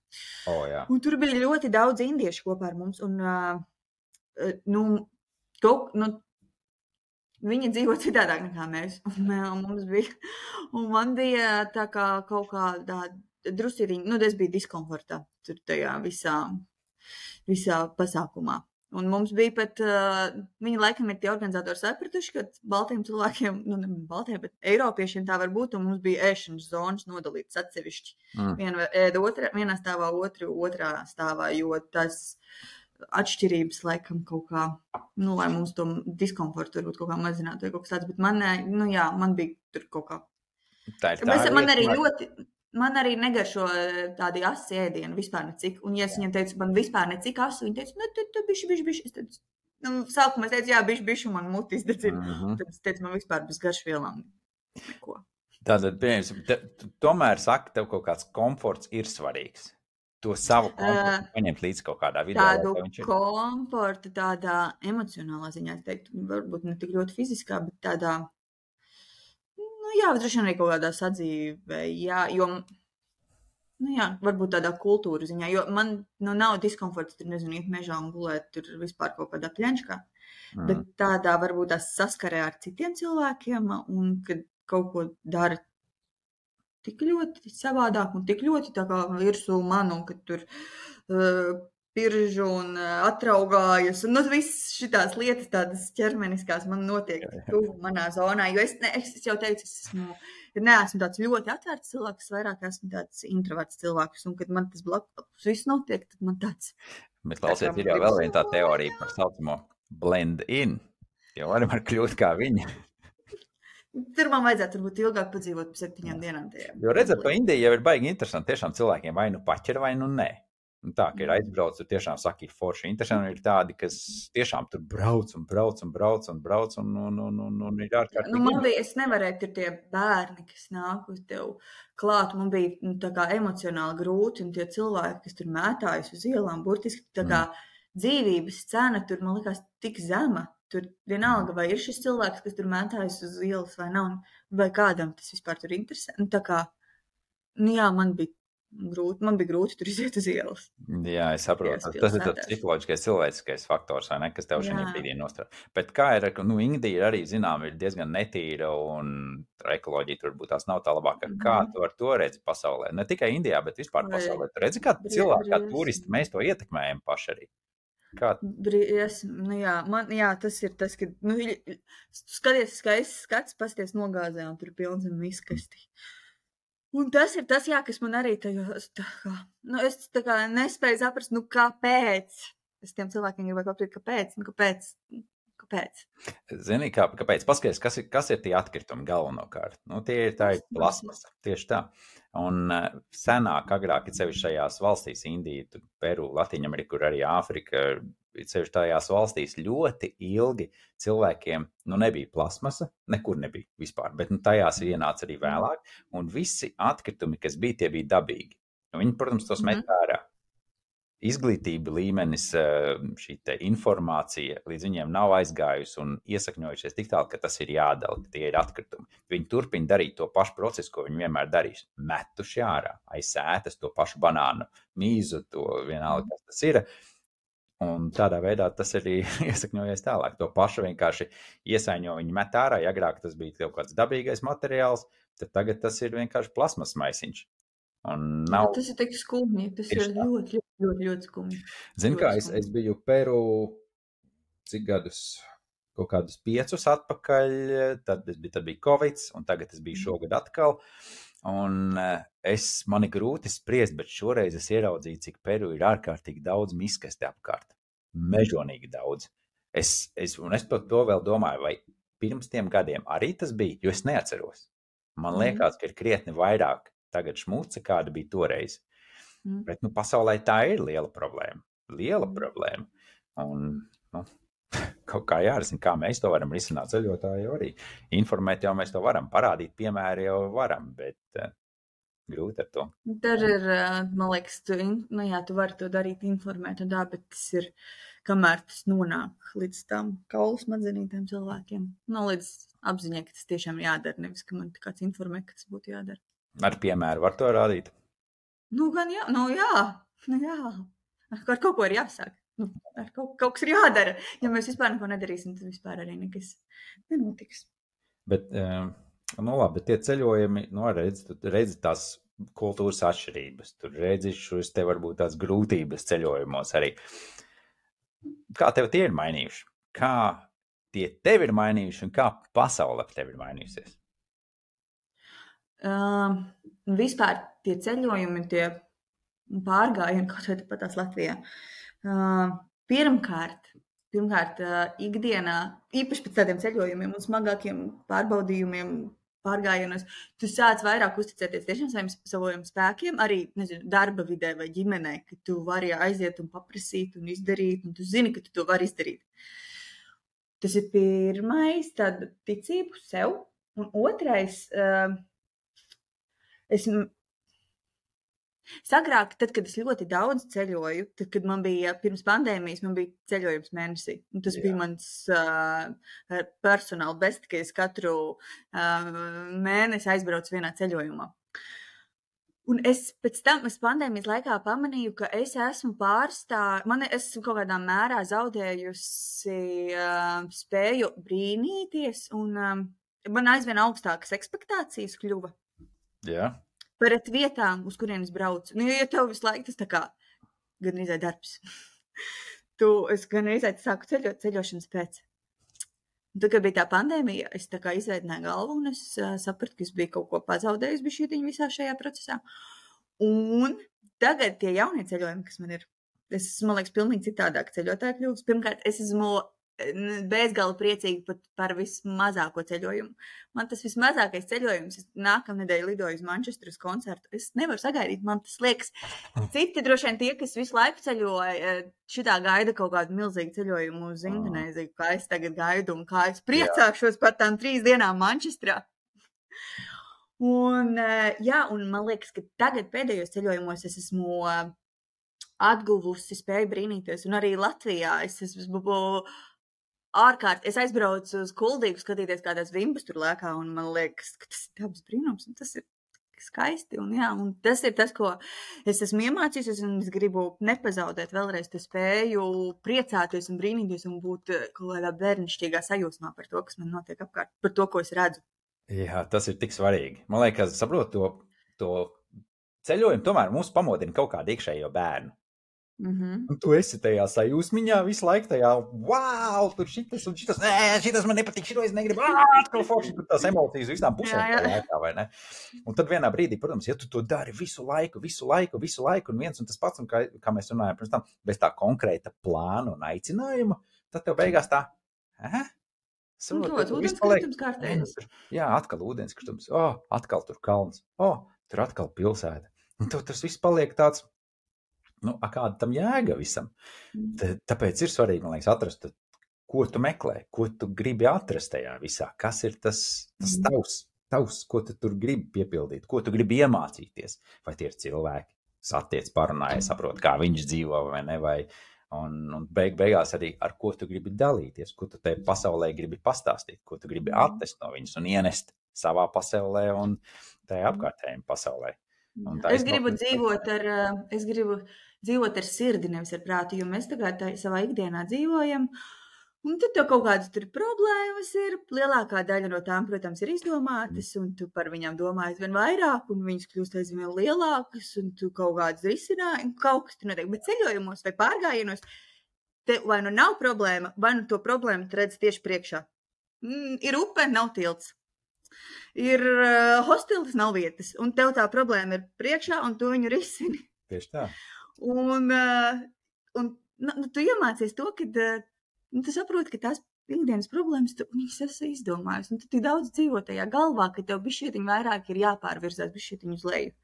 Oh, jā. Un tur bija ļoti daudz indiešu kopā ar mums un, uh, nu, kaut, nu, viņi dzīvo citādāk nekā mēs, un, un mums bija, un man bija tā kā kaut kādā drusīriņa, nu, es biju diskomfortā tur tajā visā, visā pasākumā. Un mums bija pat, uh, viņi laikam ir tie organizatori sapratuši, ka baltiem cilvēkiem, nu, ne baltiem, bet eiropiešiem tā var būt, un mums bija ēšanas zonas nodalītas atsevišķi. Mm. Viena ēda otrā, vienā stāvā, otru, otrā stāvā, jo tas atšķirības laikam kaut kā, nu, lai mums to diskomfortu varbūt kaut kā mazinātu vai kaut kas tāds, bet man, nu jā, man bija tur kaut kā. Tā ir tā bet man arī var... ļoti, man arī negaršo tādi asi ēdieni vispār necik, un ja es viņam teicu, man vispār necik asu, viņi teica, nu, tu, tu bišķi, bišķi, bišķi, es teicu, Nu, sākumā es teicu, jā, bišķi, bišķi man mutis dedzina. Mhm. Tad es teicu, man vispār bez garšvielām neko. Tātad, pieņemsim, te, tu tomēr saki, tev kaut kāds komforts ir svarīgs. To savu komfortu Uh, paņemt līdz kaut kādā vidē, Tādu lai tev viņš ir. komfortu, tādā emocionālā ziņā, es teiktu, varbūt ne tik ļoti fiziskā, bet tādā, nu jā, droši vien arī kaut kādā sadzīvē, jā, jo, nu jā, varbūt tādā kultūra ziņā, jo man nu, nav diskomforts, tur nezinu, iet mežā un gulēt, tur vispār kaut kādā pļenčkā, Mm. bet tādā varbūt tās saskarē ar citiem cilvēkiem un kad kaut ko dara tik ļoti savādāk un tik ļoti tā kā virsū man un kad tur uh, piržu un uh, atraugājas un nu, viss šitās lietas tādas ķermeniskās man notiek tuvu manā zonā, jo es, ne, es jau teicu, es esmu, neesmu tāds ļoti atvērts cilvēks, vairāk esmu tāds introverts cilvēks un kad man tas blakus viss notiek, tad man tāds. Bet klausies, ir jau vēl viena tā teorija par saucamo blend in, jo varam var kļūt kā viņi. Tur man vajadzētu varbūt ilgāk padzīvot pa septiņām dienām tajā. Jo redzat, pa Indiju jau ir baigi interesanti. Tiešām cilvēkiem vai nu paķer, vai nu nē. Un tā, ka ir aizbrauc, tur tiešām saka, ir forši interesanti. Ir tādi, kas tiešām tur brauc un brauc un brauc un brauc un, un, un, un, un ir ārkārtīgi. Nu, man bija, es nevarēju tur tie bērni, kas nāk uz tev klāt. Man bija nu, tā kā emocionāli grūti un tie cilvēki, kas tur mētājas uz ielām, burtiski tā kā mm. dzīvības cena tur, man likās, tik zema. Tur vienalga, vai ir šis cilvēks, kas tur mētājas uz ielas vai nav, vai kādam tas vispār tur interesē. Nu, tā kā, nu jā, man bija grūti, man bija grūti tur iziet uz ielas. Jā, es saprotu. Tas, tas ir tāds psiholoģiskais, cilvēciskais faktors, vai ne, kas tev šajā brīdī nostrādā. Bet kā ir, nu, Indija arī, zinām, ir diezgan netīra un ekoloģija tur būtu tās nav tā labākā. Mm-hmm. Kā tu ar to redzi pasaulē? Ne tikai Indijā, bet vispār pasaulē. Tu redzi, kā cilvēki, kā turisti, mēs to ietekmējam paši arī. Kā? Es, nu jā, man, jā, tas ir tas, ka, nu, skaties, skaists skats, pasties nogāzē un tur pilns un miskasti. Un tas ir tas, jā, kas man arī tajos, tā kā, nu, es tā kā nespēju saprast, nu, kāpēc. Es tiem cilvēkiem gribētu pateikt, kāpēc, nu, kāpēc, kāpēc. Zini, kā, kāpēc? Paskaties, kas ir, kas ir tie atkritumi galvenokārt? Nu, tie ir tā ir plasmasa, tieši tā. Un uh, senāk, agrāk, ir sevišķi šajās valstīs, Indija, Peru, Latīņamerika, kur arī Āfrika, ir sevišķi tajās valstīs ļoti ilgi cilvēkiem, nu, nebija plasmasa, nekur nebija vispār, bet nu, tajās ienāca arī vēlāk, un visi atkritumi, kas bija, tie bija dabīgi. Un viņi, protams, tos met ārā. Izglītība līmenis, šī te informācija līdz viņiem nav aizgājusi un iesakņojušies tik tālu, ka tas ir jādala, ka tie ir atkritumi. Viņi turpina darīt to pašu procesu, ko viņi vienmēr darīs. Metuši ārā, aiz sētas to pašu banānu, mīzu, to vienalga, kas tas ir. Un tādā veidā tas arī iesakņojies tālāk. To pašu vienkārši iesaiņo, viņi met ārā, ja agrāk tas bija kaut kāds dabīgais materiāls, tad tagad tas ir vienkārši plasmas maisiņš. Nav... Tas ir tik skumji, tas ir ļoti, ļoti, ļoti, ļoti skumji. Zini kā, es, es biju Peru cik gadus, kaut kādus piecus atpakaļ, tad, bija, tad bija Covid, un tagad es biju šogad atkal, un es, man ir grūti spriest, bet šoreiz es ieraudzīju, cik Peru ir ārkārtīgi daudz miskasti apkārt, mežonīgi daudz. Es, es, un es par to vēl domāju, vai pirms tiem gadiem arī tas bija, jo es neatceros. Man liekas, ka ir krietni vairāk tagad šmuca, kāda bija toreiz. Mm. Bet, nu, pasaulē tā ir liela problēma. Liela problēma. Un, nu, kaut kā jārisina, kā mēs to varam risināt ceļotāji arī. Informēt jau mēs to varam, parādīt piemēri jau varam, bet uh, grūti ar to. Tur ir, man liekas, tu, nu jā, tu vari to darīt, informēt un tā, bet tas ir, kamēr tas nonāk līdz tam kaulu smadzenītiem cilvēkiem. Nu, līdz apziņai, ka tas tiešām jādara, nevis, ka man kāds informē, ka tas būtu jādara. Ar piemēru var to rādīt? Nu, gan jā, nu jā, nu jā. Ar kaut ko ir jāsāk. Nu, ar kaut, kaut kas ir jādara. Ja mēs vispār neko nedarīsim, tad vispār arī nekas nenotiks. Bet, nu labi, bet tie ceļojumi, nu, redzi, tu redzi tās kultūras atšķirības. Tur redzi šos te varbūt tās grūtības ceļojumos arī. Kā tev tie ir mainījuši? Kā tie tev ir mainījuši un kā pasaule ap tevi ir mainījusies? Uh, vispār tie ceļojumi, tie pārgājieni, kaut vai pat tās Latvijā. Uh, pirmkārt, pirmkārt uh, ikdienā, īpaši pēc tādiem ceļojumiem un smagākiem pārbaudījumiem, pārgājienos, tu sāc vairāk uzticēties tiešām saviem, saviem spēkiem, arī, nezinu, darba vidē vai ģimenē, ka tu vari aiziet un paprasīt un izdarīt, un tu zini, ka tu to vari izdarīt. Tas ir pirmais, tāda ticību sev, un otrais, uh, es sagrāk, tad, kad es ļoti daudz ceļoju, tad, kad man bija pirms pandēmijas, man bija ceļojums mēnesī, un tas Jā. bija mans uh, personāla best, ka es katru uh, mēnesi aizbraucu vienā ceļojumā. Un es pēc tam, es pandēmijas laikā pamanīju, ka es esmu pārstā, man es esmu kaut kādā mērā zaudējusi uh, spēju brīnīties, un um, man aizvien augstākas ekspektācijas kļuva. Jā. Pret vietām, uz kurienes braucu. Nu, ja tev visu laiku tas tā kā gan izai darbs. tu, es gan izai sāku ceļot ceļošanas pēc. Un tad, kad bija tā pandēmija, es tā kā izveidināju galvu un es uh, sapratu, ka es biju kaut ko pazaudējusi bišķītiņu visā šajā procesā. Un tagad tie jaunie ceļojumi, kas man ir, es esmu, man liekas, pilnīgi citādāk ceļotāji kļūst. Pirmkārt, es esmu bezgala priecīgi pat par vismazāko ceļojumu. Man tas vismazākais ceļojums, es nākamnedēļ lidoju uz Manchesteru uz koncertu. Es nevaru sagaidīt, man tas liekas. Citi droši vien tie, kas visu laiku ceļoja, šitā gaida kaut kādu milzīgu ceļojumu uz Indonēziju, kā es tagad gaidu un kā es priecāšos par tām trīs dienām Manchesterā. Un, jā, un man liekas, ka tagad pēdējos ceļojumos es esmu atguvusi spēju brīnīties. Un arī Latvijā es esmu ārkārt, es aizbraucu uz Kuldīgu skatīties kādās vimbas tur lēkā, un man liekas, ka tas ir dabas brīnums, un tas ir skaisti, un jā, un tas ir tas, ko es esmu iemācījusies, un es gribu nepazaudēt vēlreiz te spēju priecāties un brīnīties un būt kaut kādā bērnišķīgā sajūsmā par to, kas man notiek apkārt, par to, ko es redzu. Jā, tas ir tik svarīgi. Man liekas, saprot to, to ceļojumu, tomēr mums pamodina kaut kādu iekšējo bērnu. Mm-hmm. Un tu esi tajā sajūsmiņā visu laiku tajā, wow, tur šitas un šitas, nē, šitas man nepatīk, šito es negribu, atkal forši, tur tās emocijas visām pusēm jā, jā. Laikā, vai ne? Un tad vienā brīdī, protams, ja tu to dari visu laiku, visu laiku, visu laiku, un viens un tas pats, un kā, kā mēs runājam pirms tam, bez tā konkrēta plāna un aicinājuma, tad tev beigās tā, eh? Un to, ūdenskritums kārtējums. Jā, atkal ūdenskritums, o, oh, atkal tur kalns, o, oh, tur atkal pilsēta. Un tev tas viss paliek tāds, nu, a kāda tam jēga visam. T- tāpēc ir svarīgi, man liekas, atrast, ko tu meklē, ko tu gribi atrast tajā visā, kas ir tas, tas tavs, tavs, ko tu tur gribi piepildīt, ko tu gribi iemācīties, vai tie ir cilvēki, satiec, parunāja, saprot, kā viņš dzīvo, vai ne, vai, un, un beig, beigās arī ar ko tu gribi dalīties, ko tu te pasaulē gribi pastāstīt, ko tu gribi attest no viņas un ienest savā pasaulē un tajā apkārtējiem pasaulē. Es gribu dzīvot ar, es gribu dzīvot ar sirdi, nevis ar prātu, jo mēs tagad tā, savā ikdienā dzīvojam, un tad tev kaut kādas tur problēmas ir, lielākā daļa no tām, protams, ir izdomātas, un tu par viņām domā aizvien vairāk, un viņas kļūst aizvien lielākas, un tu kaut kādas risināji, un kaut kas tur notiek, bet ceļojumos vai pārgājienos, te vai nu nav problēma, vai nu to problēmu tu redz tieši priekšā. Mm, ir upe, nav tilts. Ir uh, hostels, nav vietas, un tev tā problēma ir priekšā, un tu viņu risini. Tieši tā. Un, uh, un nu, tu iemācies to, ka uh, tu saproti, ka tās ikdienas problēmas, tu viņas esi izdomājusi. Un tu tik daudz dzīvo tajā galvā, ka tev bišķietiņ vairāk ir jāpārvirzās bišķietiņ uz leju.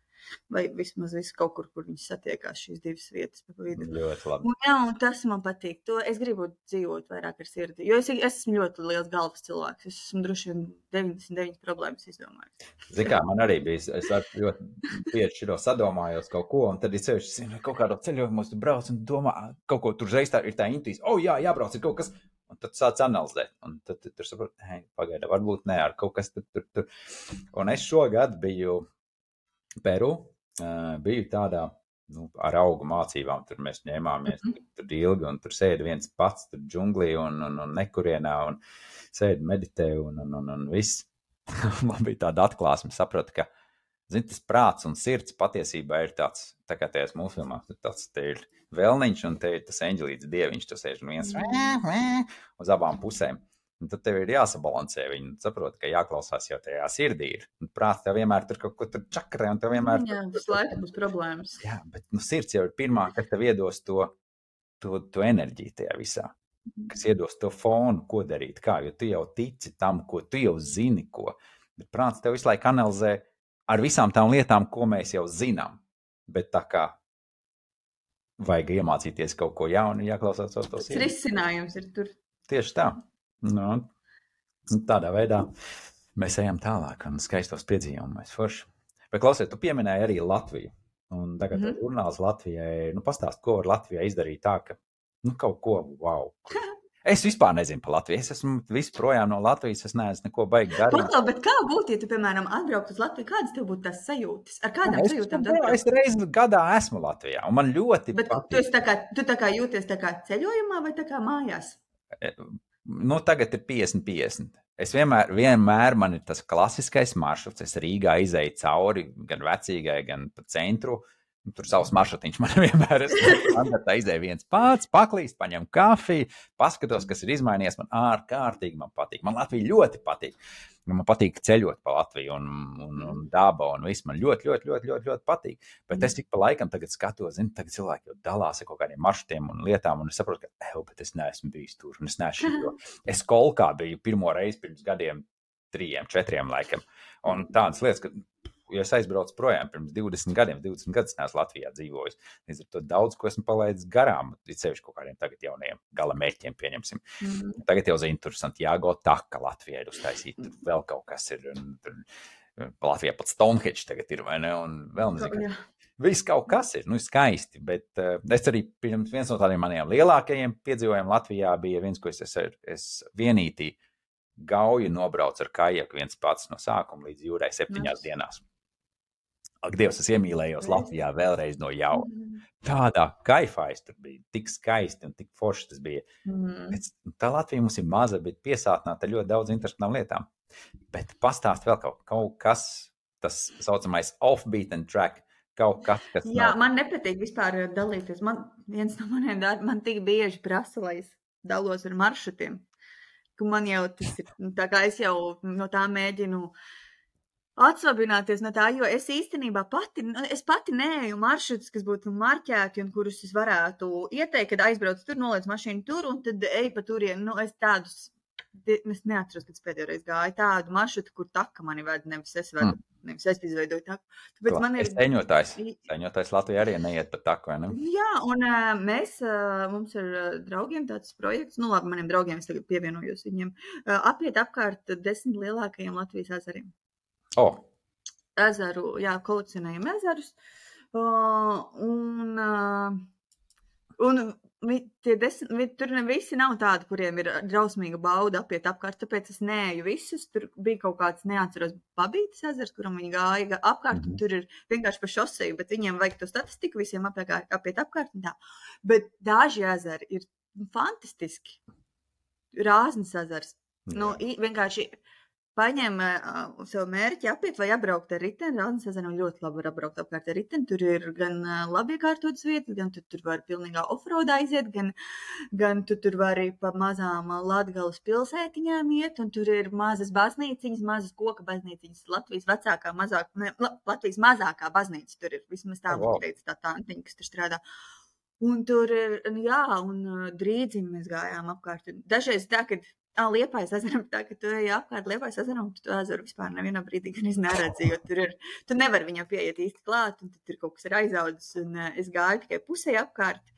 Vai vismaz visu kaut kur, kur viņas satiekās šīs divas vietas pa vidu. Ļoti labi. Un, jā, un tas man patīk. To es gribu dzīvot vairāk ar sirdi. Jo es, es esmu ļoti liels galvas cilvēks. Es esmu droši vien deviņdesmit deviņas problēmas izdomājis. Zini kā, man arī bija, es ar ļoti bieži šito sadomājos kaut ko, un tad ir sevišķi, kaut kādā ceļojumos tu brauc un domā, kaut ko tur reiz tā ir tā intuīcija, o, oh, jā, jābrauc ir kaut kas, un tad sāc analizēt. Un tad tu tur saprot, hei, pagaida, varbūt ne, ar kaut kas tur, tur, tur. Un es šogad biju Peru, uh, biju tādā, nu, ar augu mācībām, tur mēs ņēmāmies, mm-hmm. tur ilgi, un tur sēdi viens pats, tur džunglī, un, un, un nekurienā, un sēdi meditē, un, un, un, un viss. Man bija tāda atklāsme, sapratu, ka, zini, tas prāts un sirds patiesībā ir tāds, tā kā tajās mūsu filmās, tāds, te ir vēlniņš, un te ir tas eņģelīts dieviņš, tu sēž un viens mm-hmm. uz abām pusēm. Un tad tev ir jāsabalansē viņu, saprot, ka jāklausās jau tajā sirdī ir. Un prāts tev vienmēr tur kaut ko tur čakarē, un tev vienmēr... Jā, visu laiku būs problēmas. Jā, bet nu, sirds jau ir pirmā, kas tev iedos to, to, to enerģiju tajā visā. Kas iedos to fonu, ko darīt, kā, jo tu jau tici tam, ko tu jau zini, ko. Bet prāts tev visu laiku analizē ar visām tām lietām, ko mēs jau zinām. Bet tā kā vajag iemācīties kaut ko jaunu, jāklausās to sirdi. Risinājums ir tur. Tieši tā. Nu, tādā veidā mēs ejam tālāk un skaistos piedzīvojumus forši. Bet, klausies, tu pieminēji arī Latviju. Un tagad mm -hmm. žurnāls Latvijai, nu pastāst, ko var Latvijai izdarīt tā, ka, nu, kaut ko, wow. Es vispār nezinu par Latviju. Es esmu visu projām no Latvijas, es neesmu neko baigi darīt. Paklau, bet kā būtu, ja tu, piemēram, atbraukt uz Latviju, kādas tev būtu tās sajūtas? Ar kādām es, sajūtām? Es, es reizi gadā esmu Latvijā, un man ļoti bet patīk. Tu, esi tā kā, tu tā kā jūties tā kā ceļojumā vai tā kā mājās? Nu, tagad ir piecdesmit piecdesmit. Es vienmēr, vienmēr man ir tas klasiskais maršruts. Es Rīgā izēju cauri gan Vecīgai, gan pa centru. Tur savs maršrutiņš man vienmēr ir. Tā izēja viens pats, paklīst, paņem kafiju, paskatos, kas ir izmainījies. Man ārkārtīgi man patīk. Man Latvija ļoti patīk. Man patīk ceļot pa Latviju un, un, un daba un viss. Man ļoti, ļoti, ļoti, ļoti, ļoti patīk. Bet mm. es tik pa laikam tagad skatos, zinu, tagad cilvēki jau dalās ar kaut kādiem maršrutiem un lietām, un es saprotu, ka, eju, bet es neesmu bijis tur, un es neesmu šito. Es Kolkā biju pirmo reizi pirms gadiem, trījiem, četriem laikam. Un tādas lietas, ka, ja es aizbraucu projām pirms divdesmit gadiem, divdesmit gadus neesmu Latvijā dzīvojis. Līdz ar to daudz, ko esmu palaidis garām, ir sevišķi kaut kādiem tagad jaunajiem gala mērķiem pieņemsim. Mm. Tagad jau zinu, tur Santiago Taka Latvijā ir uztaisīt, tur vēl kaut kas ir, un tur Latvijā pat Stonehenge tagad ir, vai ne, un vēl nezinu. Viss kaut kas ir, nu, skaisti, bet uh, es arī pirms viens no tādiem maniem lielākajiem piedzīvojumiem Latvijā bija viens, ko es, es, es vienītī Gauju nobraucu ar kajaku viens pats no sākuma līdz jūrai septiņās Nas. dienās. Ak, Dievs, es iemīlējos Latvijā vēlreiz no jauna. Tādā kaifā es tur biju, tik skaisti un tik forši tas bija. Mm. Bet tā Latvija mums ir maza, bet piesātināta ļoti daudz interesantām lietām. Bet pastāst vēl kaut, kaut kas, tas saucamais off-beaten track, kaut kas, kas Jā, nav... man nepatīk vispār dalīties. Man viens no maniem darbiem, man tik bieži prasa, lai es dalos ar maršrutiem. Ka man jau tas ir, tā kā es jau no tā mēģinu atsvabināties no tā, jo es īstenībā pati, es pati neeju maršrutus, kas būtu marķēti un kurus es varētu ieteikt, kad aizbraucu tur, noliec mašīnu tur un tad eju pa turien. Nu, es tādus, es neatceros, kad es pēdējo reizi gāju tādu maršrutu, kur taka mani ved, nevis es vedu, mm. nevis es izveidoju taku. Tāpēc man ir... Sēņotājs, sēņotājs Latvijā arī neiet pa taku, vai ne? Jā, un uh, mēs, uh, mums ir uh, draugiem tāds projekts, nu labi, maniem draugiem es tagad pievienojos viņiem, uh, apiet apkārt desmit lielākajiem Latvijas ezeriem. Oh. Ezeru, jā, kolekcionējam ezerus. Uh, un uh, un vi, tie desmit, vi, tur ne visi nav tādi, kuriem ir drausmīga bauda apiet apkārt, tāpēc es neeju visus. Tur bija kaut kāds, neatceros, Babītas ezers, kuram viņi gāja apkārt, mm-hmm. un tur ir vienkārši pa šoseju, bet viņiem vajag to statistiku, visiem apiet, apiet apkārt un tā. Bet daži ezeri ir fantastiski. Rāznas ezers. Mm. Nu, vienkārši paņem uh, sev mērķi apiet vai apbraukt ar riteni. Rāznas ezeru ļoti labi var apbraukt apkārt ar riteni. Tur ir gan uh, labi iekārtotas vietas, gan tu tur var pilnīgā offroadā iziet, gan, gan tu tur vari pa mazām Latgales pilsētiņām iet, un tur ir mazas baznīciņas, mazas koka baznīciņas. Latvijas vecākā, mazāk, ne, Latvijas mazākā baznīca tur ir. Vismaz tā mums teica tā tantiņa, kas tur strādā. Un tur ir, jā, un uh, drīdzim mēs gājām apkārt. Dažreiz tā, kad Ah, Liepājas ezeram, tā, ka tu ej apkārt Liepājas ezeram, tu to ezeru vispār nevienā brīdī gan neredzi, jo tur ir, tu nevari viņam pieiet īsti klāt, un tur kaut kas ir aizaudzis, un uh, es gāju tikai pusē apkārt,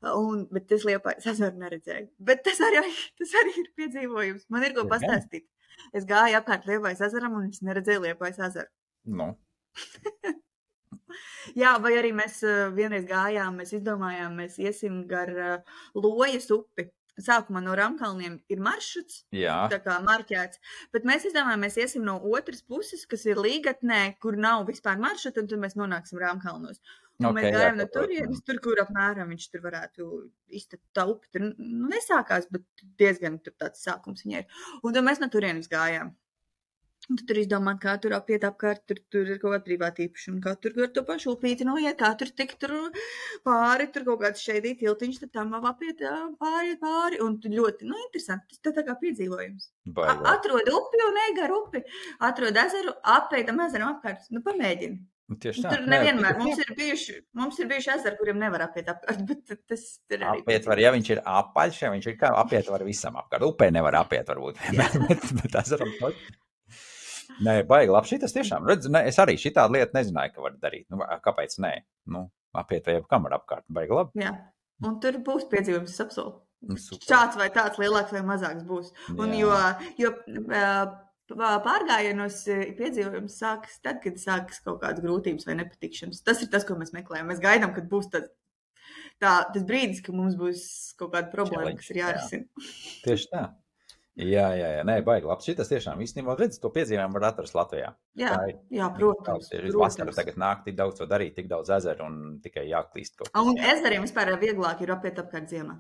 un, bet es Liepājas ezeru neredzēju. Bet tas arī, tas arī ir piedzīvojums. Man ir ko pastāstīt. Es gāju apkārt Liepājas ezeram, un es neredzēju Liepājas ezeru. No. Jā, vai arī mēs uh, vienreiz gājām, mēs izdomājām, mēs iesim gar uh, Lojas upi. Sākumā no Ramkalniem ir maršruts, Jā. tā kā marķēts, bet mēs izdomājām, mēs iesim no otras puses, kas ir Līgatnē, kur nav vispār maršruta, un tad mēs nonāksim Ramkalnos. Un okay, mēs gājām jā, no turienes, tur, kur apmēram viņš tur varētu iztapt tā upi. Tur nu, nesākās, bet diezgan tur tāds sākums viņai ir. Un tad mēs no turienes gājām. Un tu tur izdomā, kā tur apiet apkārt, tur, tur ir kaut kāda privāta īpašuma, kā tur ar to pašu upīti noiet, kā tur tik tur pāri, tur kaut kāds šeidī tiltiņš, tad tam apiet pāri, pāri, un tu ļoti, nu, interesanti, tas tā kā piedzīvojums. A, atrod upi un ej gar upi, atrod ezeru, apeitam ezeram apkārt, nu, pamēģini. Tieši tā. Tur nevienmēr, mums ir bijuši, mums ir bijuši ezeri, kuriem nevar apiet apkārt, bet tas ir arī. Apiet var, ja viņš ir apaļš, ja viņš ir kā, apiet var visam apkārt, upē nevar apiet varbūt, bet, bet ezeram toķi. Nē, baigi labi, šitas tiešām, redz, ne, es arī šitādu lietu nezināju, ka var darīt. Nu, kāpēc nē? Nu, apiet vai kam var apkārt, baigi labi. Jā, un tur būs piedzīvojums, es apsolu. šāds vai tāds lielāks vai mazāks būs. Un jo, jo pārgājienos piedzīvojums sākas tad, kad sākas kaut kādas grūtības vai nepatikšanas. Tas ir tas, ko mēs meklējam. Mēs gaidām, kad būs tas, tā, tas brīdis, ka mums būs kaut kāda problēma, kas ir jārisina. Jā. Tieši tā. Jā, jā, jā. Nē, baigi labs. Šitas tiešām īstenībā, redz, to piedzīvojumu var atrast Latvijā. Jā, ir, jā, protams. Ir vasara tagad nāk, tik daudz to darīt, tik daudz ezeru un tikai jāklīst kaut kas. Un ezeriem vispār vieglāk ir apiet apkārt ziemā.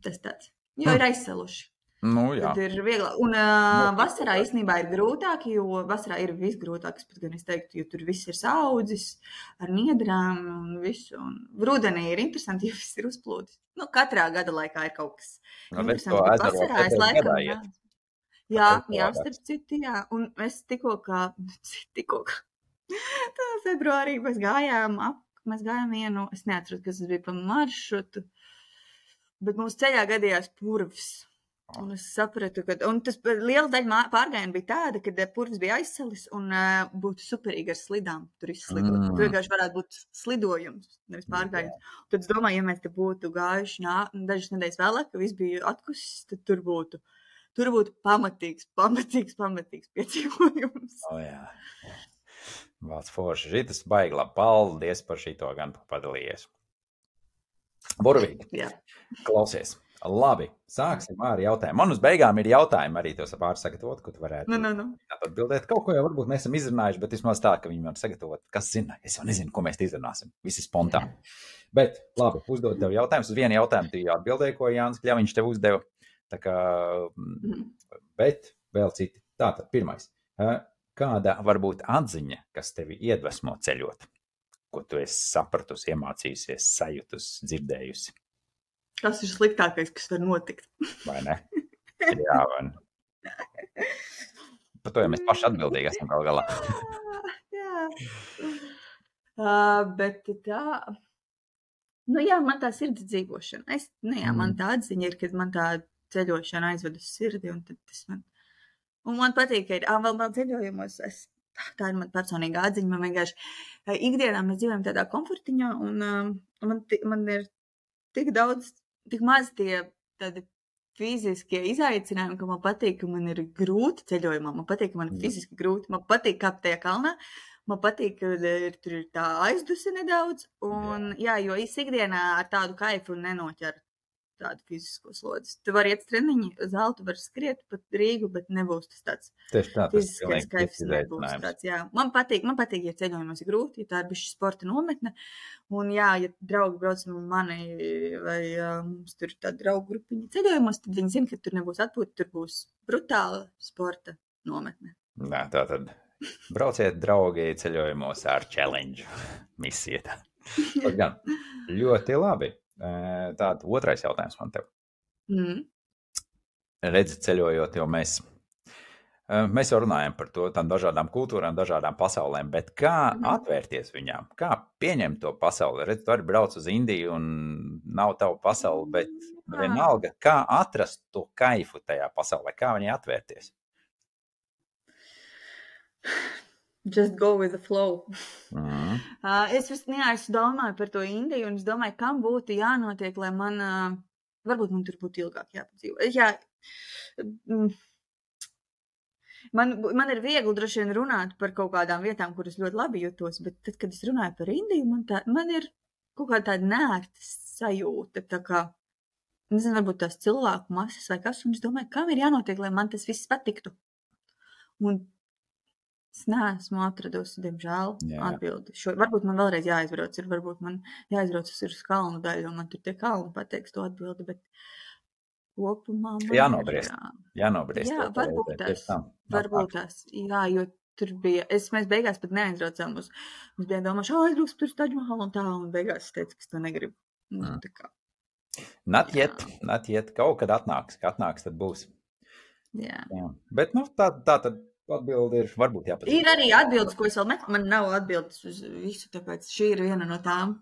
Tas tāds. Jo hmm. ir aizsaluši. Nu, jā. Tad ir vieglāk. Un uh, vasarā īstenībā ir grūtāk, jo vasarā ir visgrūtāk, es pat gan es teiktu, jo tur viss ir saudzis ar niedrām un visu. Un rudenī ir interesanti, jo viss ir uzplūdis. Nu, katrā gada laikā ir kaut kas no, interesants. Bet vasarā es laikam, jā. Jā, jā, starp citu, jā. Un es tikko kā, tikko kā, tā februārī mēs gājām ap, mēs gājām vienu, es neatceros, kas tas bija pa maršrutu, bet mums ceļā gadījās purvs. Un es sapratu, ka, un tas liela daļa pārgājiena bija tāda, ka purvs bija aizsalis un uh, būtu superīgi ar slidām tur izslidot. Mm. Tur vienkārši varētu būt slidojums, nevis pārgājiens. Yeah. Tad es domāju, ja mēs te būtu gājuši nā, dažas nedēļas vēlāk, ka viss bija atkusis, tad tur būtu, tur būtu pamatīgs, pamatīgs, pamatīgs piedzīvojums. O oh, jā. Vārds forši. Šitas baigi labi. Paldies par šito gan padalījies. Burvīgi. Jā. Klausies. Labi, sāksim ar jautājumu. Man uz beigām ir jautājumi arī tos pāris sagatavot, ko tu varētu no, no, no. atbildēt. Kaut ko jau varbūt mēs esam izrunājuši, bet vismaz tā, ka viņi var sagatavot. Kas zina? Es jau nezinu, ko mēs izrunāsim. Visi spontāni. Bet, labi, uzdod tev jautājumus. Uz vienu jautājumu tu jau atbildēji, ko Jānis Kļaviņš tev uzdeva. Tā kā, mm. bet vēl citi. Tātad, pirmais. Kāda varbūt atziņa, kas tevi iedvesmo ceļot? Ko tu esi sapratusi, iemācījusies, sajutusi, dzirdējusi? Tas ir sliktākais, kas var notikt. Vai ne? Jā, vai ne? Par to jau mēs paši atbildīgi esam gal galā. Jā. Uh, bet tā... Nu jā, man tā sirds dzīvošana. Es, nu jā, man tā atziņa ir, kad man tā ceļošana aizved uz sirdi. Un, tad tas man... un man patīk, ka ir ā, vēl man ceļojumos. Es... Tā ir man personīga atziņa. Man vienkārši ikdienā mēs dzīvojam tādā komfortiņā. Un uh, man, man ir tik daudz... Tik maz tie tādi fiziskie izaicinājumi, ka man patīk, ka man ir grūti ceļojumā, man patīk, ka man ir fiziski grūti, man patīk kāpt tajā kalnā, man patīk, ka ir, tur ir tā aizduse nedaudz, un jā, jo es ikdienā ar tādu kaifu nenoķeru tādu fizisko slodzi. Tu vari iet treniņi, zāli, tu vari skriet pat Rīgu, bet nebūs tas tāds tā, fiziskais kaifs nebūs tāds, jā. Man patīk, man patīk, ja ceļojumos ir grūti, ja tā ir bišķi sporta nometne, un jā, ja draugi brauc ar mani, vai mums tur tā draugu grupiņa ceļojumos, tad viņi zina, ka tur nebūs atpūta, tur būs brutāla sporta nometne. Nā, tā tad brauciet, draugi, ceļojumos ar challenge misiju. Gan, ļoti labi. Tātad otrais jautājums man tev. Mm. Redzi, ceļojot, jo mēs, mēs jau runājam par to, tām dažādām kultūrām, dažādām pasaulēm, bet kā mm. atvērties viņām? Kā pieņemt to pasauli? Redzi, tu arī brauc uz Indiju un nav tavu pasauli, bet vienalga, kā atrast to kaifu tajā pasaulē? Kā viņai atvērties? Just go with the flow. Mm. Uh, es visnijā, es domāju par to Indiju, un es domāju, kam būtu jānotiek, lai man, uh, varbūt man tur būtu ilgāk jāpadzīvo. Jā, mm, man, man ir viegli droši vien runāt par kaut kādām vietām, kuras ļoti labi jūtos, bet tad, kad es runāju par Indiju, man, tā, man ir kaut kāda tāda nērta sajūta, tā kā, nezinu, varbūt tās cilvēku masas vai kas, un es domāju, kam ir jānotiek, lai man tas viss patiktu. Un es neesmu atradusi, diemžēl, Jā. atbildi. Šo, varbūt man vēlreiz jāizbrauc, ir varbūt man jāizbrauc uz kalnu daļu, un man tur tie kalni pateiks to atbildi, bet kopumā man jānobriest. Jā, jānobriest. Jā, varbūt tās, varbūt tās, jā, jo tur bija, es, mēs beigās pat neaizbraucām uz, mums bija domāšu, ā, aizbrauks tur Taģmahalu un tā, un beigās es teicu, ka es to negribu. Nu, tā kā. Not yet, not yet, kaut kad atnāks, kad atnāks, tad būs. Jā. Jā. Bet, nu, tā, tā tad atbildi ir, varbūt jāpatīk. Ir arī atbildes, ko es vēl meklēju. Man nav atbildes uz visu, tāpēc šī ir viena no tām,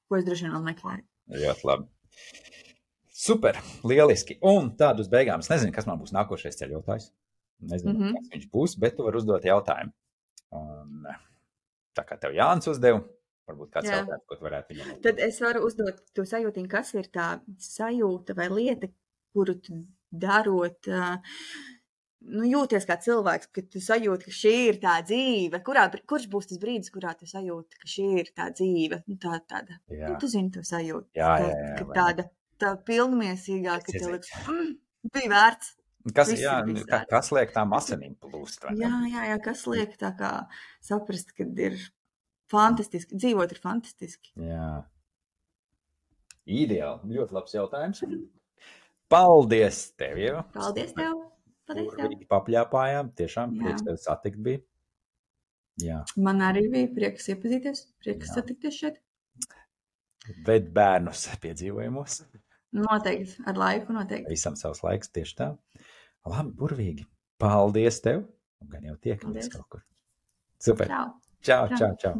ko es droši vien vēl meklēju. Ļoti labi. Super, lieliski. Un tādu uz beigām, es nezinu, kas man būs nākošais ceļotājs. Nezinu, mm-hmm. kas viņš būs, bet tu vari uzdot jautājumu. Un, tā kā tev Jānis uzdev, Varbūt kāds Jā. jautājums, ko tu varētu viņam uzdot. Tad es varu uzdot to sajūtiņu, kas ir tā sajūta vai lieta, kuru tu darot, uh, nu, jūties kā cilvēks, ka tu sajūti, ka šī ir tā dzīve. Kurā, kurš būs tas brīdis, kurā tu sajūti, ka šī ir tā dzīve? Nu, tā, tāda, Jā. nu, tu zini to sajūtu. Jā, tā, jā, jā, ka vai tāda, tā pilnmiesīgā, ka Es tev iedzinu. liekas, mm, bija vērts. Kas, Viss jā, ir bijis ka, vērts. kas liek tām asinīm plūst? vai ne? Jā, jā, jā, kas liek tā kā saprast, kad ir fantastiski, dzīvot ir fantastiski. Jā. Ideāli. Ļoti labs jautājums. Paldies tev, Ieva. Paldies tev! Paldies tev! Burvīgi papļāpājām. Tiešām Jā. prieks tevi satikt bija. Jā. Man arī bija prieks iepazīties, prieks Jā. satikties šeit. Ved bērnus piedzīvojumos. Noteikti, ar laiku noteikti. Visam savs laiks, tieši tā. Labi, burvīgi. Paldies tev. Un gan jau tiekamies Paldies. kaut kur. Super. Čau! Čau, Čau. čau, čau.